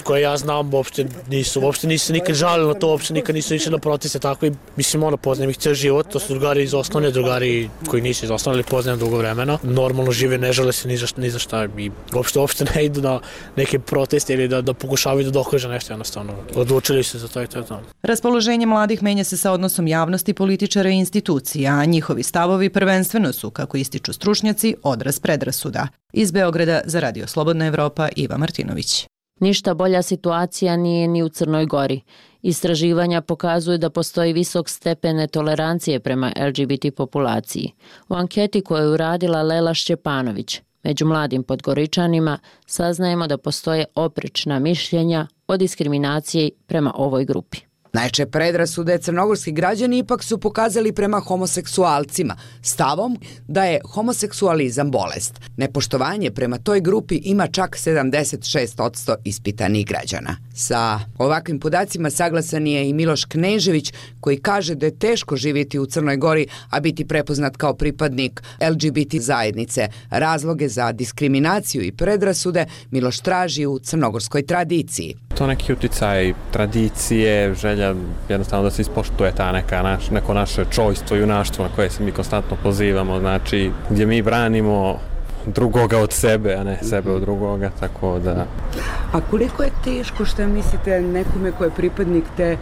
koje ja znam uopšte nisu nikad žalili na to, uopšte nikad nisu išli na proteste, tako i mislim poznajem ih cijel život, to su drugari iz osnovne, drugari koji nisu iz osnovne, ali poznajem dugo vremena. Normalno žive, ne žele se ni za šta i uopšte ne idu na neke proteste ili da pokušavaju da dokaže nešto jednostavno. Odlučili su za to i to. Raspoloženje mladih menja se sa odnosom javnosti, političara i institucija, a njihovi stavovi prvenstveno su, kako ističu stručnjaci, odraz predrasuda. Iz Beograda za Radio Slobodna Evropa, Iva Martinović. Ništa bolja situacija nije ni u Crnoj Gori. Istraživanja pokazuju da postoji visok stepen netolerancije prema LGBT populaciji. U anketi koju je uradila Lela Šćepanović, među mladim Podgoričanima, saznajemo da postoje oprečna mišljenja o diskriminaciji prema ovoj grupi. Najčešće predrasude crnogorski građani ipak su pokazali prema homoseksualcima, stavom da je homoseksualizam bolest. Nepoštovanje prema toj grupi ima čak 76% ispitanih građana. Sa ovakvim podacima saglasan je i Miloš Knežević, koji kaže da je teško živjeti u Crnoj Gori, a biti prepoznat kao pripadnik LGBT zajednice. Razloge za diskriminaciju i predrasude Miloš traži u crnogorskoj tradiciji. To neki uticaj tradicije, želja jednostavno da se ispoštuje ta neko naše čojstvo i junaštvo na koje se mi konstantno pozivamo, znači gdje mi branimo drugoga od sebe, a ne sebe od drugoga, tako da... A koliko je teško, što mislite, nekome ko je pripadnik te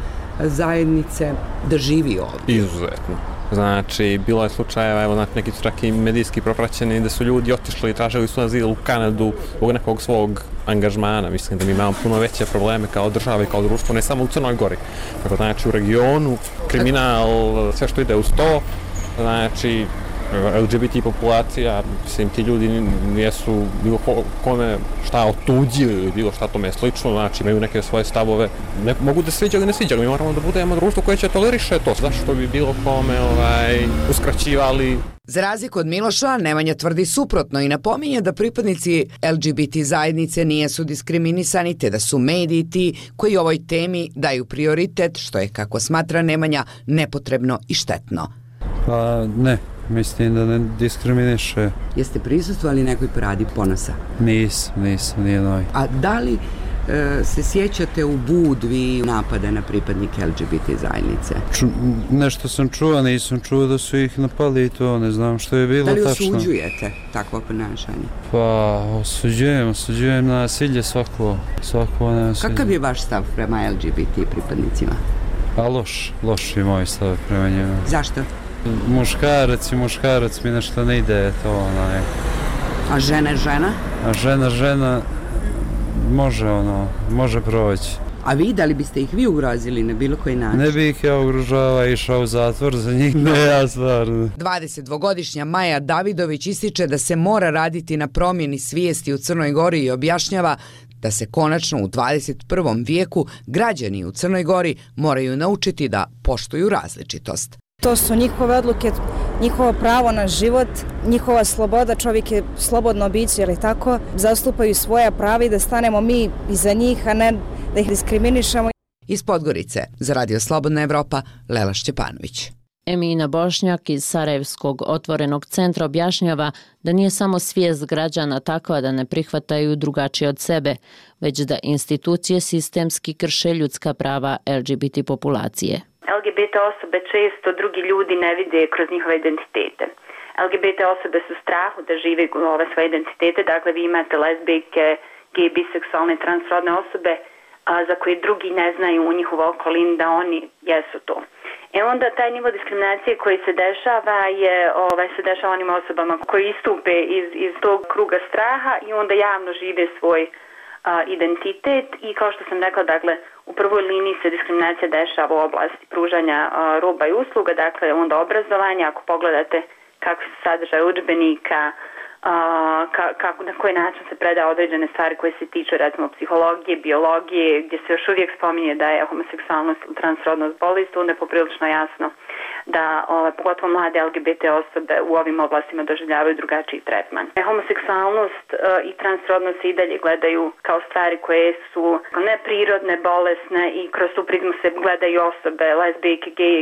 zajednice da živi ovdje? Izuzetno. Znači, bilo je slučajeva, evo, znači, neki su čak i medijski propraćeni da su ljudi otišli i tražili su azil u Kanadu zbog nekog svog angažmana. Mislim da mi imamo puno veće probleme kao država i kao društvo, ne samo u Crnoj Gori. Tako, znači, u regionu, kriminal, sve što ide uz to, znači, LGBT populacija, mislim, ti ljudi nijesu bilo kome šta otuđili ili bilo šta tome slično, znači imaju neke svoje stavove, ne mogu da sviđa ili ne sviđa, mi moramo da budemo društvo koje će toleriše to, zašto bi bilo kome uskraćivali. Za razliku od Miloša, Nemanja tvrdi suprotno i napominje da pripadnici LGBT zajednice nijesu diskriminisani te da su mediji ti koji ovoj temi daju prioritet, što je, kako smatra Nemanja, nepotrebno i štetno. Pa ne, mislim da ne diskriminiše. Jeste prisustvovali nekoj paradi ponosa? Nisam, nijednoj. A da li se sjećate u Budvi napada na pripadnike LGBT zajednice? Nešto sam čuo, nisam čuo da su ih napali i to, ne znam što je bilo tačno. Da li osuđujete takvo ponašanje? Pa, osuđujem nasilje, svako nasilje. Kakav je vaš stav prema LGBT pripadnicima? Pa loš je moj stav prema njima. Zašto? Muškarac mi nešto ne ide, to onaj. A žena? A žena može proći. A vi, da li biste ih vi ugrozili na bilo koji način? Ne bih ja ugrožava, išao u zatvor za njih, ne ja stvarno. 22-godišnja Maja Davidović ističe da se mora raditi na promjeni svijesti u Crnoj Gori i objašnjava da se konačno u 21. vijeku građani u Crnoj Gori moraju naučiti da poštuju različitost. To su njihove odluke, njihovo pravo na život, njihova sloboda, čovjek je slobodno biće, ili tako, zastupaju svoja prava i da stanemo mi iza njih, a ne da ih diskriminišemo. Iz Podgorice, za Radio Slobodna Evropa, Lela Šćepanović. Emina Bošnjak iz Sarajevskog otvorenog centra objašnjava da nije samo svijest građana takva da ne prihvataju drugačije od sebe, već da institucije sistemski krše ljudska prava LGBT populacije. LGBT osobe često drugi ljudi ne vide kroz njihove identitete. LGBT osobe su u strahu da žive svoje identitete, dakle vi imate lezbijke, gej, biseksualne, transrodne osobe za koje drugi ne znaju u njihovoj okolini da oni jesu to. Onda taj nivo diskriminacije koji se dešava se dešava onim osobama koji istupe iz tog kruga straha i onda javno žive svoj identitet i kao što sam rekla, dakle, u prvoj liniji se diskriminacija dešava u oblasti pružanja roba i usluga, dakle onda obrazovanja, ako pogledate kako se sadržaj udžbenika, na koji način se predaje određene stvari koje se tiču recimo psihologije, biologije, gdje se još uvijek spominje da je homoseksualnost ili transrodnost bolest, onda je poprilično jasno da pogotovo mlade LGBT osobe u ovim oblastima doživljavaju drugačiji tretman. Homoseksualnost i transrodnost se i dalje gledaju kao stvari koje su neprirodne, bolesne i kroz tu prizmu se gledaju osobe, lezbijke, gej,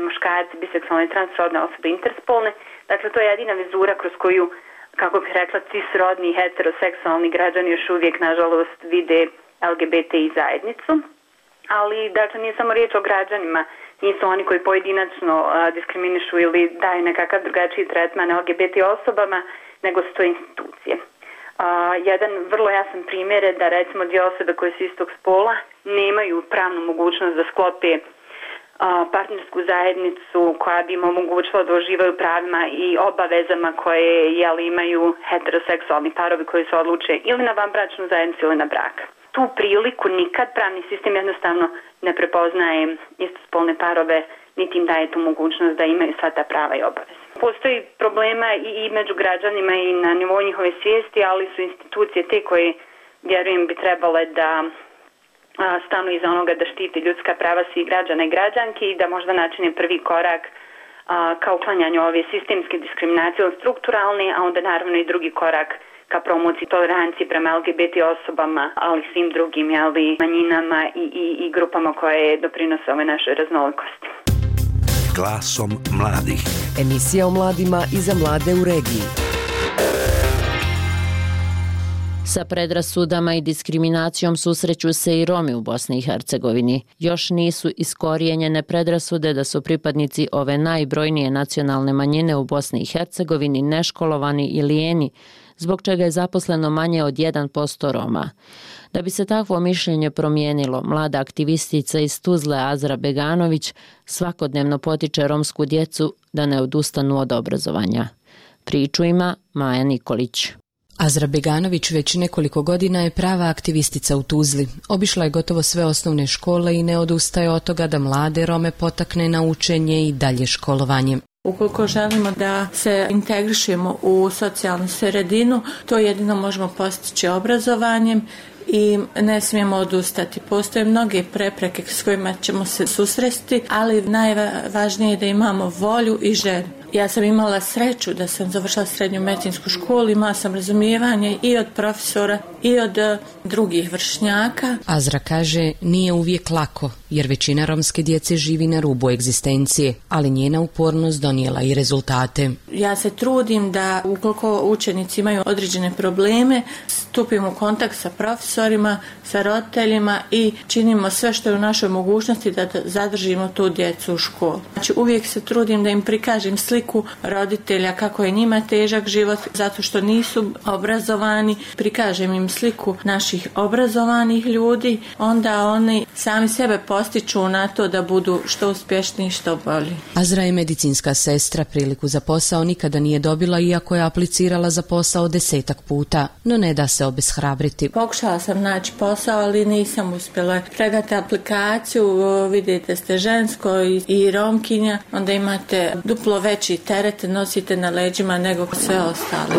muškarci, biseksualne i transrodne osobe, interspolne. Dakle, to je jedina vizura kroz koju, kako bih rekla, cisrodni i heteroseksualni građani još uvijek, nažalost, vide LGBTI zajednicu. Ali, dakle, nije samo riječ o građanima, nisu oni koji pojedinačno diskriminišu ili daju nekakav drugačiji tretman LGBT osobama, nego su to institucije. Jedan vrlo jasan primjer je da recimo dvije osobe koje su istog spola nemaju pravnu mogućnost da sklope partnersku zajednicu koja bi im omogućila da uživaju pravima i obavezama koje imaju heteroseksualni parovi koji se odluče ili na vanbračnu zajednicu ili na brak. Tu priliku nikad pravni sistem jednostavno ne prepoznaje istospolne parove, niti im daje tu mogućnost da imaju sva ta prava i obaveze. Postoji problema i među građanima i na nivou njihove svijesti, ali su institucije te koje, vjerujem, bi trebale da stanu iza onoga da štiti ljudska prava svih građana i građanki i da možda načine prvi korak ka uklanjanju ove sistemske diskriminacije od strukturalne, a onda naravno i drugi korak ka promociji tolerancije prema LGBT osobama, ali svim drugim manjinama i grupama koje doprinose ove našoj raznolikosti. Glasom mladih. Emisija o mladima i za mlade u regiji. Sa predrasudama i diskriminacijom susreću se i Romi u Bosni i Hercegovini. Još nisu iskorijenjene predrasude da su pripadnici ove najbrojnije nacionalne manjine u Bosni i Hercegovini neškolovani i lijeni, zbog čega je zaposleno manje od 1% Roma. Da bi se takvo mišljenje promijenilo, mlada aktivistica iz Tuzle Azra Beganović svakodnevno potiče romsku djecu da ne odustanu od obrazovanja. Priču ima Maja Nikolić. Azra Beganović već nekoliko godina je prava aktivistica u Tuzli. Obišla je gotovo sve osnovne škole i ne odustaje od toga da mlade Rome potakne na učenje i dalje školovanje. Ukoliko želimo da se integrišemo u socijalnu sredinu, to jedino možemo postići obrazovanjem i ne smijemo odustati. Postoje mnoge prepreke s kojima ćemo se susresti, ali najvažnije je da imamo volju i želju. Ja sam imala sreću da sam završila srednju medicinsku školu, imala sam razumijevanje i od profesora i od drugih vršnjaka. Azra kaže, nije uvijek lako, jer većina romske djece živi na rubu egzistencije, ali njena upornost donijela i rezultate. Ja se trudim da ukoliko učenici imaju određene probleme, stupimo u kontakt sa profesorima, sa roditeljima i činimo sve što je u našoj mogućnosti da zadržimo tu djecu u školi. Znači uvijek se trudim da im prikažem sliku roditelja kako je njima težak život zato što nisu obrazovani, prikažem im sliku naših obrazovanih ljudi, onda oni sami sebe postiču na to da budu što uspješniji, što bolji. Azra je medicinska sestra, priliku za posao nikada nije dobila iako je aplicirala za posao 10 puta, no ne da se obeshrabriti. Pokušala sam naći posao, ali nisam uspjela. Predate aplikaciju, vidite ste žensko i romkinja, onda imate duplo veći teret, nosite na leđima nego sve ostale.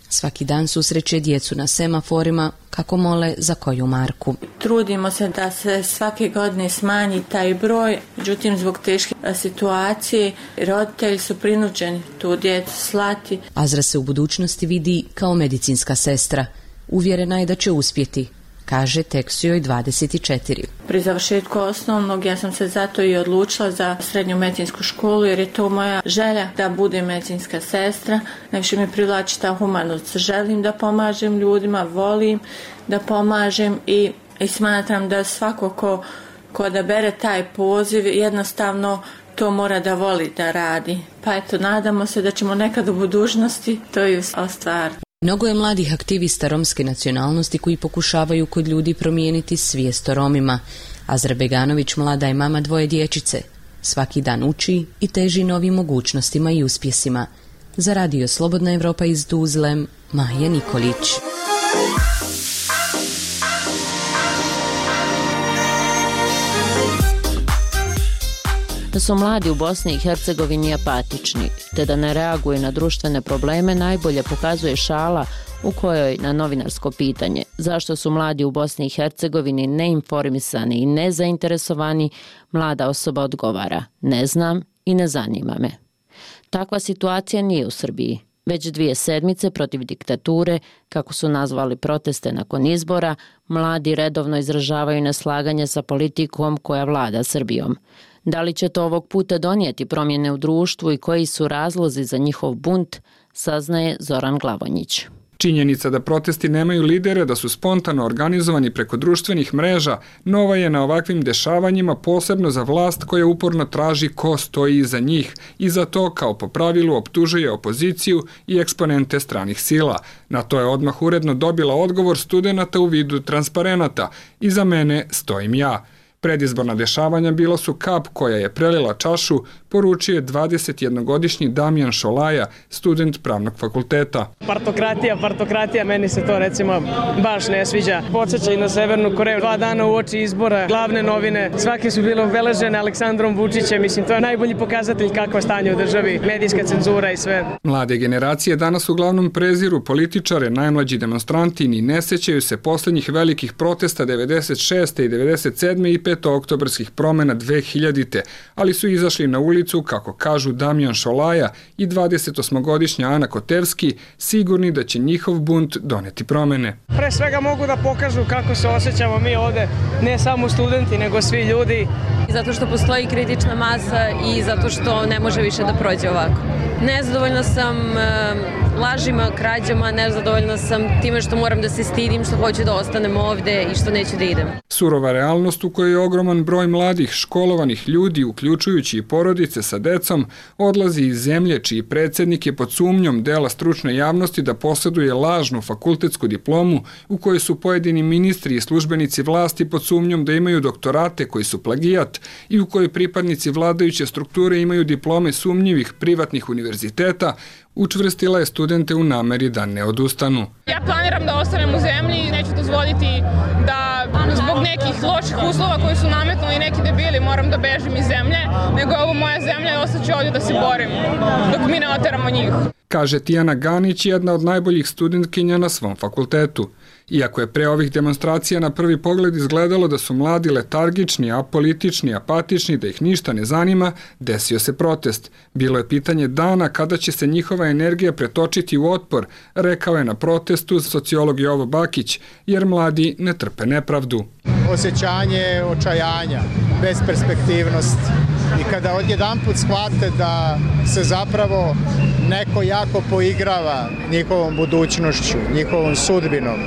Svaki dan susreće djecu na semaforima kako mole za koju marku. Trudimo se da se svake godine smanji taj broj, međutim zbog teške situacije roditelji su prinuđeni tu djecu slati. Azra se u budućnosti vidi kao medicinska sestra. Uvjerena je da će uspjeti. Kaže, tek su joj 24. Pri završetku osnovnog ja sam se zato i odlučila za srednju medicinsku školu jer je to moja želja da budem medicinska sestra. Najviše mi privlači ta humanost. Želim da pomažem ljudima, volim da pomažem i smatram da svako ko da bere taj poziv jednostavno to mora da voli da radi. Pa eto, nadamo se da ćemo nekad u budućnosti to i ostvariti. Mnogo je mladih aktivista romske nacionalnosti koji pokušavaju kod ljudi promijeniti svijest o Romima. Azra Beganović mlada je mama 2 dječice. Svaki dan uči i teži novim mogućnostima i uspjesima. Za Radio Slobodna Evropa iz Tuzle, Maja Nikolić. Da su mladi u Bosni i Hercegovini apatični, te da ne reaguju na društvene probleme najbolje pokazuje šala u kojoj na novinarsko pitanje zašto su mladi u Bosni i Hercegovini neinformisani i nezainteresovani, mlada osoba odgovara: ne znam i ne zanima me. Takva situacija nije u Srbiji. Već 2 sedmice protiv diktature, kako su nazvali proteste nakon izbora, mladi redovno izražavaju neslaganje sa politikom koja vlada Srbijom. Da li će to ovog puta donijeti promjene u društvu i koji su razlozi za njihov bunt, saznaje Zoran Glavonjić. Činjenica da protesti nemaju lidere, da su spontano organizovani preko društvenih mreža, nova je na ovakvim dešavanjima, posebno za vlast koja uporno traži ko stoji iza njih i za to, kao po pravilu, optužuje opoziciju i eksponente stranih sila. Na to je odmah uredno dobila odgovor studenata u vidu transparenata: iza mene stojim ja. Predizborna dešavanja bila su kap koja je prelila čašu, poručio je 21-godišnji Damjan Šolaja, student pravnog fakulteta. Partokratija, meni se to recimo baš ne sviđa. Podsjeća i na Severnu Koreju. 2 dana u oči izbora, glavne novine, svake su bile obeležene Aleksandrom Vučićem. Mislim, to je najbolji pokazatelj kakvo je stanje u državi, medijska cenzura i sve. Mlade generacije danas uglavnom preziru političare, najmlađi demonstranti ni ne sećaju se posljednjih velikih protesta 96. i 97. i 5. oktobarskih promjena 2000. ali su izašli na ulicu, kako kažu Damjan Šolaja i 28-godišnja Ana Kotevski, sigurni da će njihov bunt doneti promjene. Pre svega mogu da pokažu kako se osjećamo mi ovde, ne samo studenti, nego svi ljudi. Zato što postoji kritična masa i zato što ne može više da prođe ovako. Nezadovoljna sam lažima, krađama, nezadovoljna sam time što moram da se stidim, što hoću da ostanem ovde i što neću da idem. Surova realnost u kojoj je ogroman broj mladih, školovanih ljudi, uključujući i porodice sa decom, odlazi iz zemlje čiji predsjednik je pod sumnjom dela stručne javnosti da posjeduje lažnu fakultetsku diplomu, u kojoj su pojedini ministri i službenici vlasti pod sumnjom da imaju doktorate koji su plagijat i u kojoj pripadnici vladajuće strukture imaju diplome sumnjivih privatnih univerziteta, učvrstila je studente u nameri da ne odustanu. Ja planiram da ostanem u zemlji i neću dozvoliti da zbog nekih loših uslova koji su nametnuli neki debili moram da bežim iz zemlje, nego je ovo moja zemlja i ostaću ovdje da se borim dok mi ne oteramo njih. Kaže Tijana Ganić, jedna od najboljih studentkinja na svom fakultetu. Iako je pre ovih demonstracija na prvi pogled izgledalo da su mladi letargični, apolitični, apatični, da ih ništa ne zanima, desio se protest. Bilo je pitanje dana kada će se njihova energija pretočiti u otpor, rekao je na protestu sociolog Jovo Bakić, jer mladi ne trpe nepravdu. Osjećanje očajanja, besperspektivnost i kada odjedanput shvate da se zapravo neko jako poigrava njihovom budućnošću, njihovom sudbinom,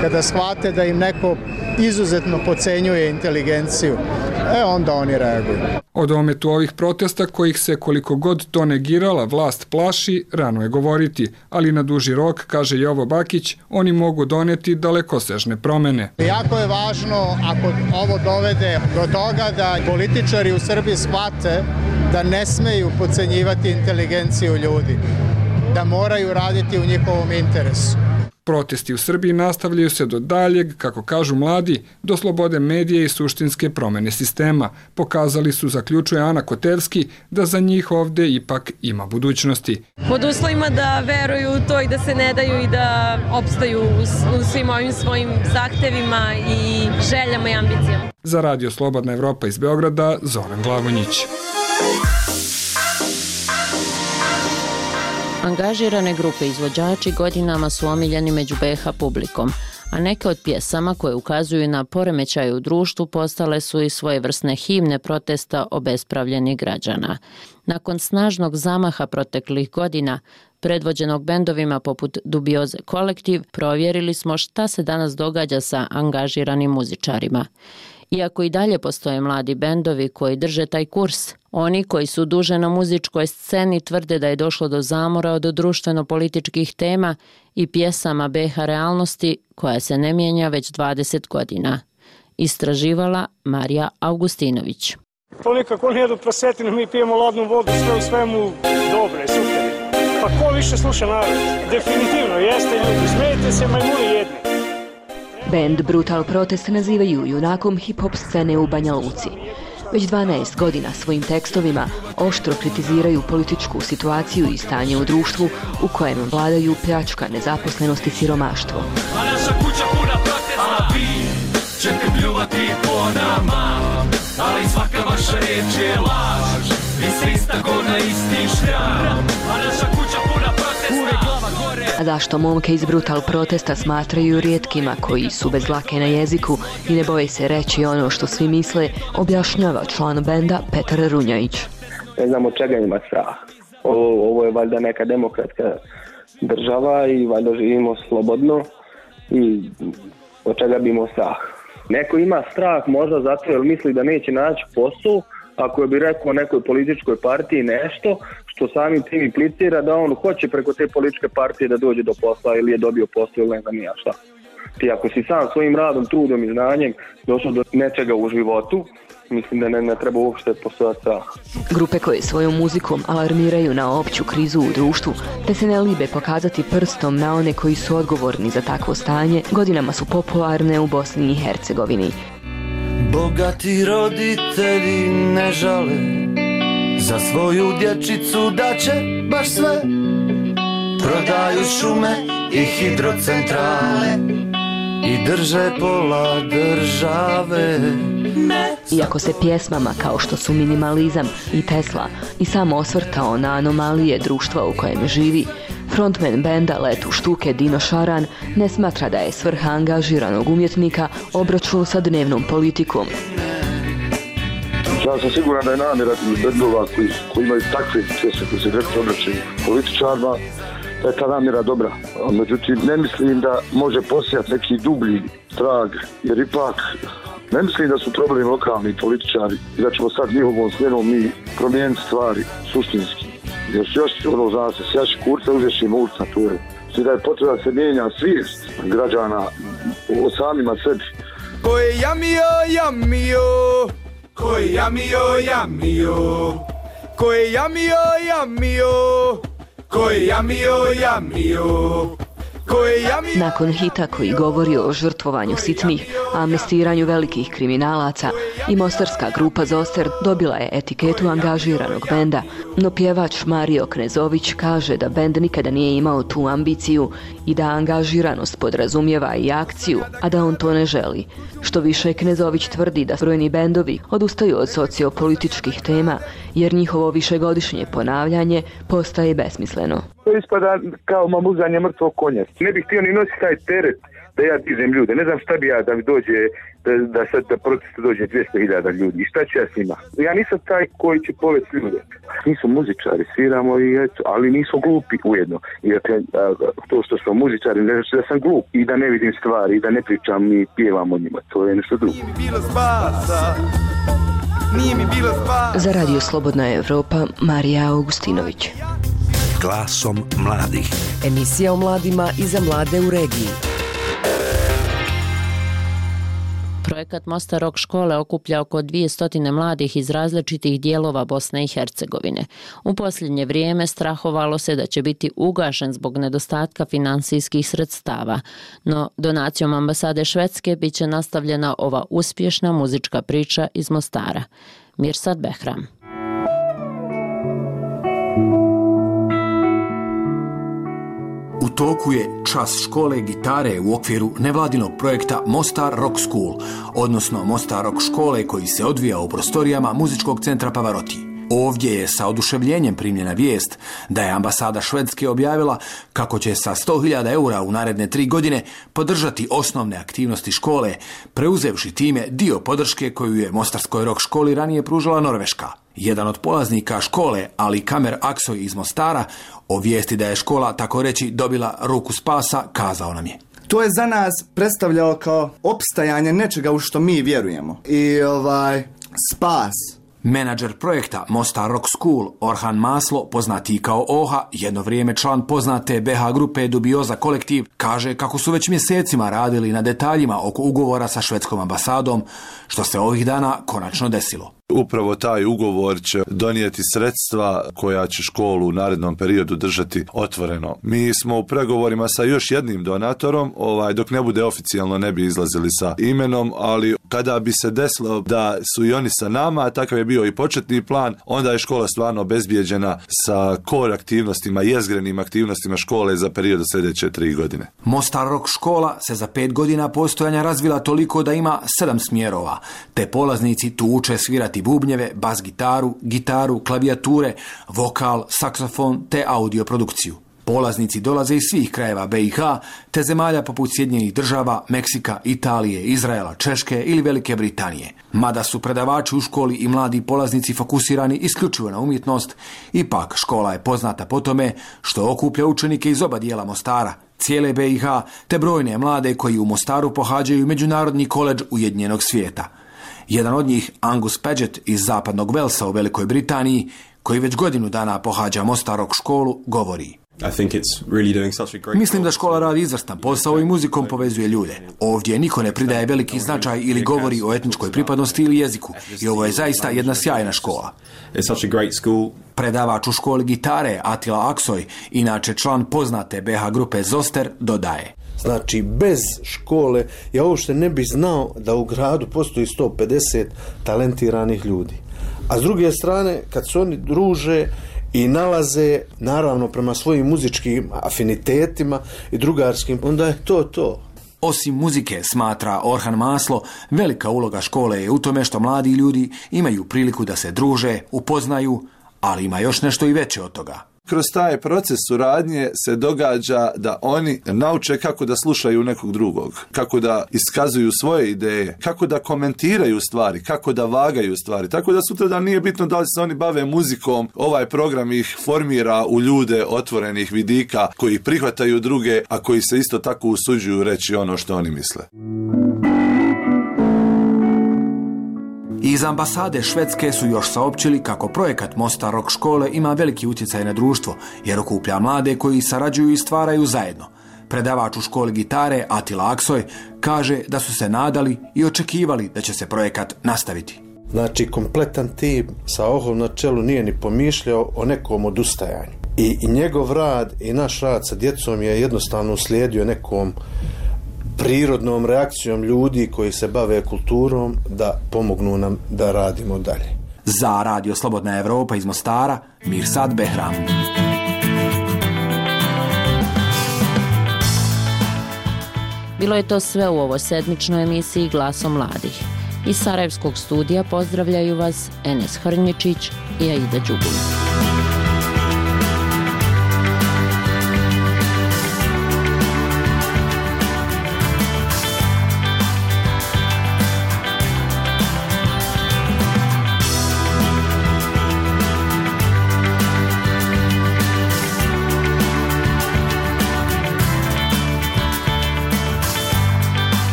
kada shvate da im neko izuzetno podcenjuje inteligenciju, onda oni reaguju. O dometu ovih protesta, kojih se koliko god to negirala vlast plaši, rano je govoriti, ali na duži rok, kaže Jovo Bakić, oni mogu doneti dalekosežne promene. Jako je važno, ako ovo dovede do toga da političari u Srbiji shvate da ne smeju podcenjivati inteligenciju ljudi, da moraju raditi u njihovom interesu. Protesti u Srbiji nastavljaju se do daljeg, kako kažu mladi, do slobode medija i suštinske promene sistema. Pokazali su, zaključuje Ana Kotevski, da za njih ovde ipak ima budućnosti. Pod uslovima da veruju u to i da se ne daju i da opstaju u svim ovim svojim zahtevima i željama i ambicijama. Za Radio Slobodna Evropa iz Beograda, Zoran Glavonjić. Angažirane grupe izvođači godinama su omiljeni među BiH publikom, a neke od pjesama koje ukazuju na poremećaje u društvu postale su i svojevrsne himne protesta obespravljenih građana. Nakon snažnog zamaha proteklih godina, predvođenog bendovima poput Dubioze Kolektiv, provjerili smo šta se danas događa sa angažiranim muzičarima. Iako i dalje postoje mladi bendovi koji drže taj kurs, oni koji su duže na muzičkoj sceni tvrde da je došlo do zamora od društveno-političkih tema i pjesama BiH realnosti koja se ne mijenja već 20 godina. Istraživala Marija Augustinović. To nekako oni jedu prasetinu, mi pijemo ladnu vodu, sve u svemu dobre, super. Pa ko više sluša narod? Definitivno, jeste ljudi, smijete se majmuni jedni. Band Brutal Protest nazivaju junakom hip-hop scene u Banja Luci. Već 12 godina svojim tekstovima oštro kritiziraju političku situaciju i stanje u društvu u kojem vladaju pljačka, nezaposlenost i siromaštvo. A naša kuća puna protesta, a vi ćete pljuvati po nama, ali svaka vaša riječ je laž, vi ste ista gona, isti šljam. A naša kuća puna protesta, a zašto momke iz Brutal Protesta smatraju rijetkima koji su bez dlake na jeziku i ne boje se reći ono što svi misle, objašnjava član benda Petar Runjajić. Ne znam od čega ima strah. Ovo je valjda neka demokratska država i valjda živimo slobodno i od čega bi imao strah. Neko ima strah možda zato jer misli da neće naći posao, ako bi rekao nekoj političkoj partiji nešto što samim tim implicira da on hoće preko te političke partije da dođe do posla ili je dobio posao ili ne znam ja šta. Ti ako si sam svojim radom, trudom i znanjem došao do nečega u životu, mislim da ne treba uopšte postojati strah. Grupe koje svojom muzikom alarmiraju na opću krizu u društvu, te se ne libe pokazati prstom na one koji su odgovorni za takvo stanje, godinama su popularne u Bosni i Hercegovini. Bogati roditelji ne žale, za svoju dječicu da će baš sve. Prodaju šume i hidrocentrale i drže pola države. Iako se pjesmama kao što su Minimalizam i Tesla i samo osvrtao na anomalije društva u kojem živi, frontman benda Letu štuke Dino Šaran ne smatra da je svrha angažiranog umjetnika obračun sa dnevnom politikom. Ja sam siguran da je namjera bendova koji imaju takve pjesme koji se direktno obraćaju političarima, da je ta namjera dobra. Međutim, ne mislim da može posijati neki dublji trag, jer ipak ne mislim da su problemi lokalni političari i da ćemo sad njihovom smjenom mi promijeniti stvari suštinski. Jer još zna se, sjaši kurca, uzešimo ulica, to je. I da je potrebno da se mijenja svijest građana o samima sebi. Ko je jamio, jamio, ko je jamio, jamio, ko je jamio, jamio, ko je jamio, jamio, Nakon hita koji govori o žrtvovanju sitnih, amnestiranju velikih kriminalaca, i mostarska grupa Zoster dobila je etiketu angažiranog benda, no pjevač Mario Knezović kaže da bend nikada nije imao tu ambiciju i da angažiranost podrazumijeva i akciju, a da on to ne želi. Što više, Knezović tvrdi da brojni bendovi odustaju od sociopolitičkih tema, jer njihovo višegodišnje ponavljanje postaje besmisleno. To ispada kao mamuzanje mrtvog konja. Ne bih htio ni nositi taj teret da ja dižem ljude. Ne znam šta bi ja da mi dođe, da sad da protestu dođe 200.000 ljudi. I šta ću ja s njima? Ja nisam taj koji će povesti ljude. Nisu muzičari, sviramo i eto, ali nisu glupi ujedno. I to što smo muzičari ne znači da sam glup i da ne vidim stvari i da ne pričam i pjevam o njima. To je nešto drugo. Za Radio Slobodna Evropa, Marija Augustinović. Glasom mladih. Emisija o mladima i za mlade u regiji. Projekat Mostar Rock škole okuplja oko 200 mladih iz različitih dijelova Bosne i Hercegovine. U posljednje vrijeme strahovalo se da će biti ugašen zbog nedostatka finansijskih sredstava, no donacijom ambasade Švedske bit će nastavljena ova uspješna muzička priča iz Mostara. Mirsad Behram. U toku je čas škole gitare u okviru nevladinog projekta Mostar Rock School, odnosno Mostar Rock škole koji se odvija u prostorijama muzičkog centra Pavarotti. Ovdje je sa oduševljenjem primljena vijest da je ambasada Švedske objavila kako će sa 100.000 eura u naredne 3 godine podržati osnovne aktivnosti škole, preuzevši time dio podrške koju je Mostarskoj rock školi ranije pružala Norveška. Jedan od polaznika škole, Ali Kamer Aksoj iz Mostara, o vijesti da je škola, tako reći, dobila ruku spasa, kazao nam je. To je za nas predstavljalo kao opstajanje nečega u što mi vjerujemo. I spas. Menadžer projekta Mostar Rock School, Orhan Maslo, poznati kao Oha, jedno vrijeme član poznate BH grupe Dubioza kolektiv, kaže kako su već mjesecima radili na detaljima oko ugovora sa švedskom ambasadom, što se ovih dana konačno desilo. Upravo taj ugovor će donijeti sredstva koja će školu u narednom periodu držati otvoreno. Mi smo u pregovorima sa još jednim donatorom, dok ne bude oficijalno ne bi izlazili sa imenom, ali kada bi se desilo da su i oni sa nama, a takav je bio i početni plan, onda je škola stvarno obezbijeđena sa core aktivnostima, jezgrenim aktivnostima škole za period sljedeće 3 godine. Mostar Rock škola se za 5 godina postojanja razvila toliko da ima 7 smjerova, te polaznici tu uče svirati bubnjeve, bas gitaru, gitaru, klavijature, vokal, saksofon te audio produkciju. Polaznici dolaze iz svih krajeva BiH te zemalja poput Sjedinjenih Država, Meksika, Italije, Izraela, Češke ili Velike Britanije. Mada su predavači u školi i mladi polaznici fokusirani isključivo na umjetnost, ipak škola je poznata po tome što okuplja učenike iz oba dijela Mostara, cijele BiH te brojne mlade koji u Mostaru pohađaju Međunarodni koledž Ujedinjenog svijeta. Jedan od njih, Angus Paget iz zapadnog Velsa u Velikoj Britaniji, koji već godinu dana pohađa Mostar Rock školu, govori. Mislim da škola radi izvrstan posao i muzikom povezuje ljude. Ovdje niko ne pridaje veliki značaj ili govori o etničkoj pripadnosti ili jeziku i ovo je zaista jedna sjajna škola. Predavač u školi gitare Atila Aksoj, inače član poznate BH grupe Zoster, dodaje. Znači, bez škole ja uopšte ne bi znao da u gradu postoji 150 talentiranih ljudi. A s druge strane, kad se oni druže i nalaze, naravno, prema svojim muzičkim afinitetima i drugarskim, onda je to. Osim muzike, smatra Orhan Maslo, velika uloga škole je u tome što mladi ljudi imaju priliku da se druže, upoznaju, ali ima još nešto i veće od toga. Kroz taj proces suradnje se događa da oni nauče kako da slušaju nekog drugog, kako da iskazuju svoje ideje, kako da komentiraju stvari, kako da vagaju stvari. Tako da sutradan nije bitno da li se oni bave muzikom, ovaj program ih formira u ljude otvorenih vidika koji prihvataju druge, a koji se isto tako usuđuju reći ono što oni misle. Iz ambasade Švedske su još saopćili kako projekat Mostar Rock škole ima veliki utjecaj na društvo, jer okuplja mlade koji sarađuju i stvaraju zajedno. Predavač u školi gitare Atila Aksoj kaže da su se nadali i očekivali da će se projekat nastaviti. Znači, kompletan tim sa Ohom na čelu nije ni pomišljao o nekom odustajanju. I njegov rad i naš rad sa djecom je jednostavno uslijedio nekom prirodnom reakcijom ljudi koji se bave kulturom da pomognu nam da radimo dalje. Za Radio Slobodna Evropa iz Mostara, Mirsad Behram. Bilo je to sve u ovoj sedmičnoj emisiji Glasom mladih. Iz Sarajevskog studija pozdravljaju vas Enes Hrnjičić i Aida Đubulić.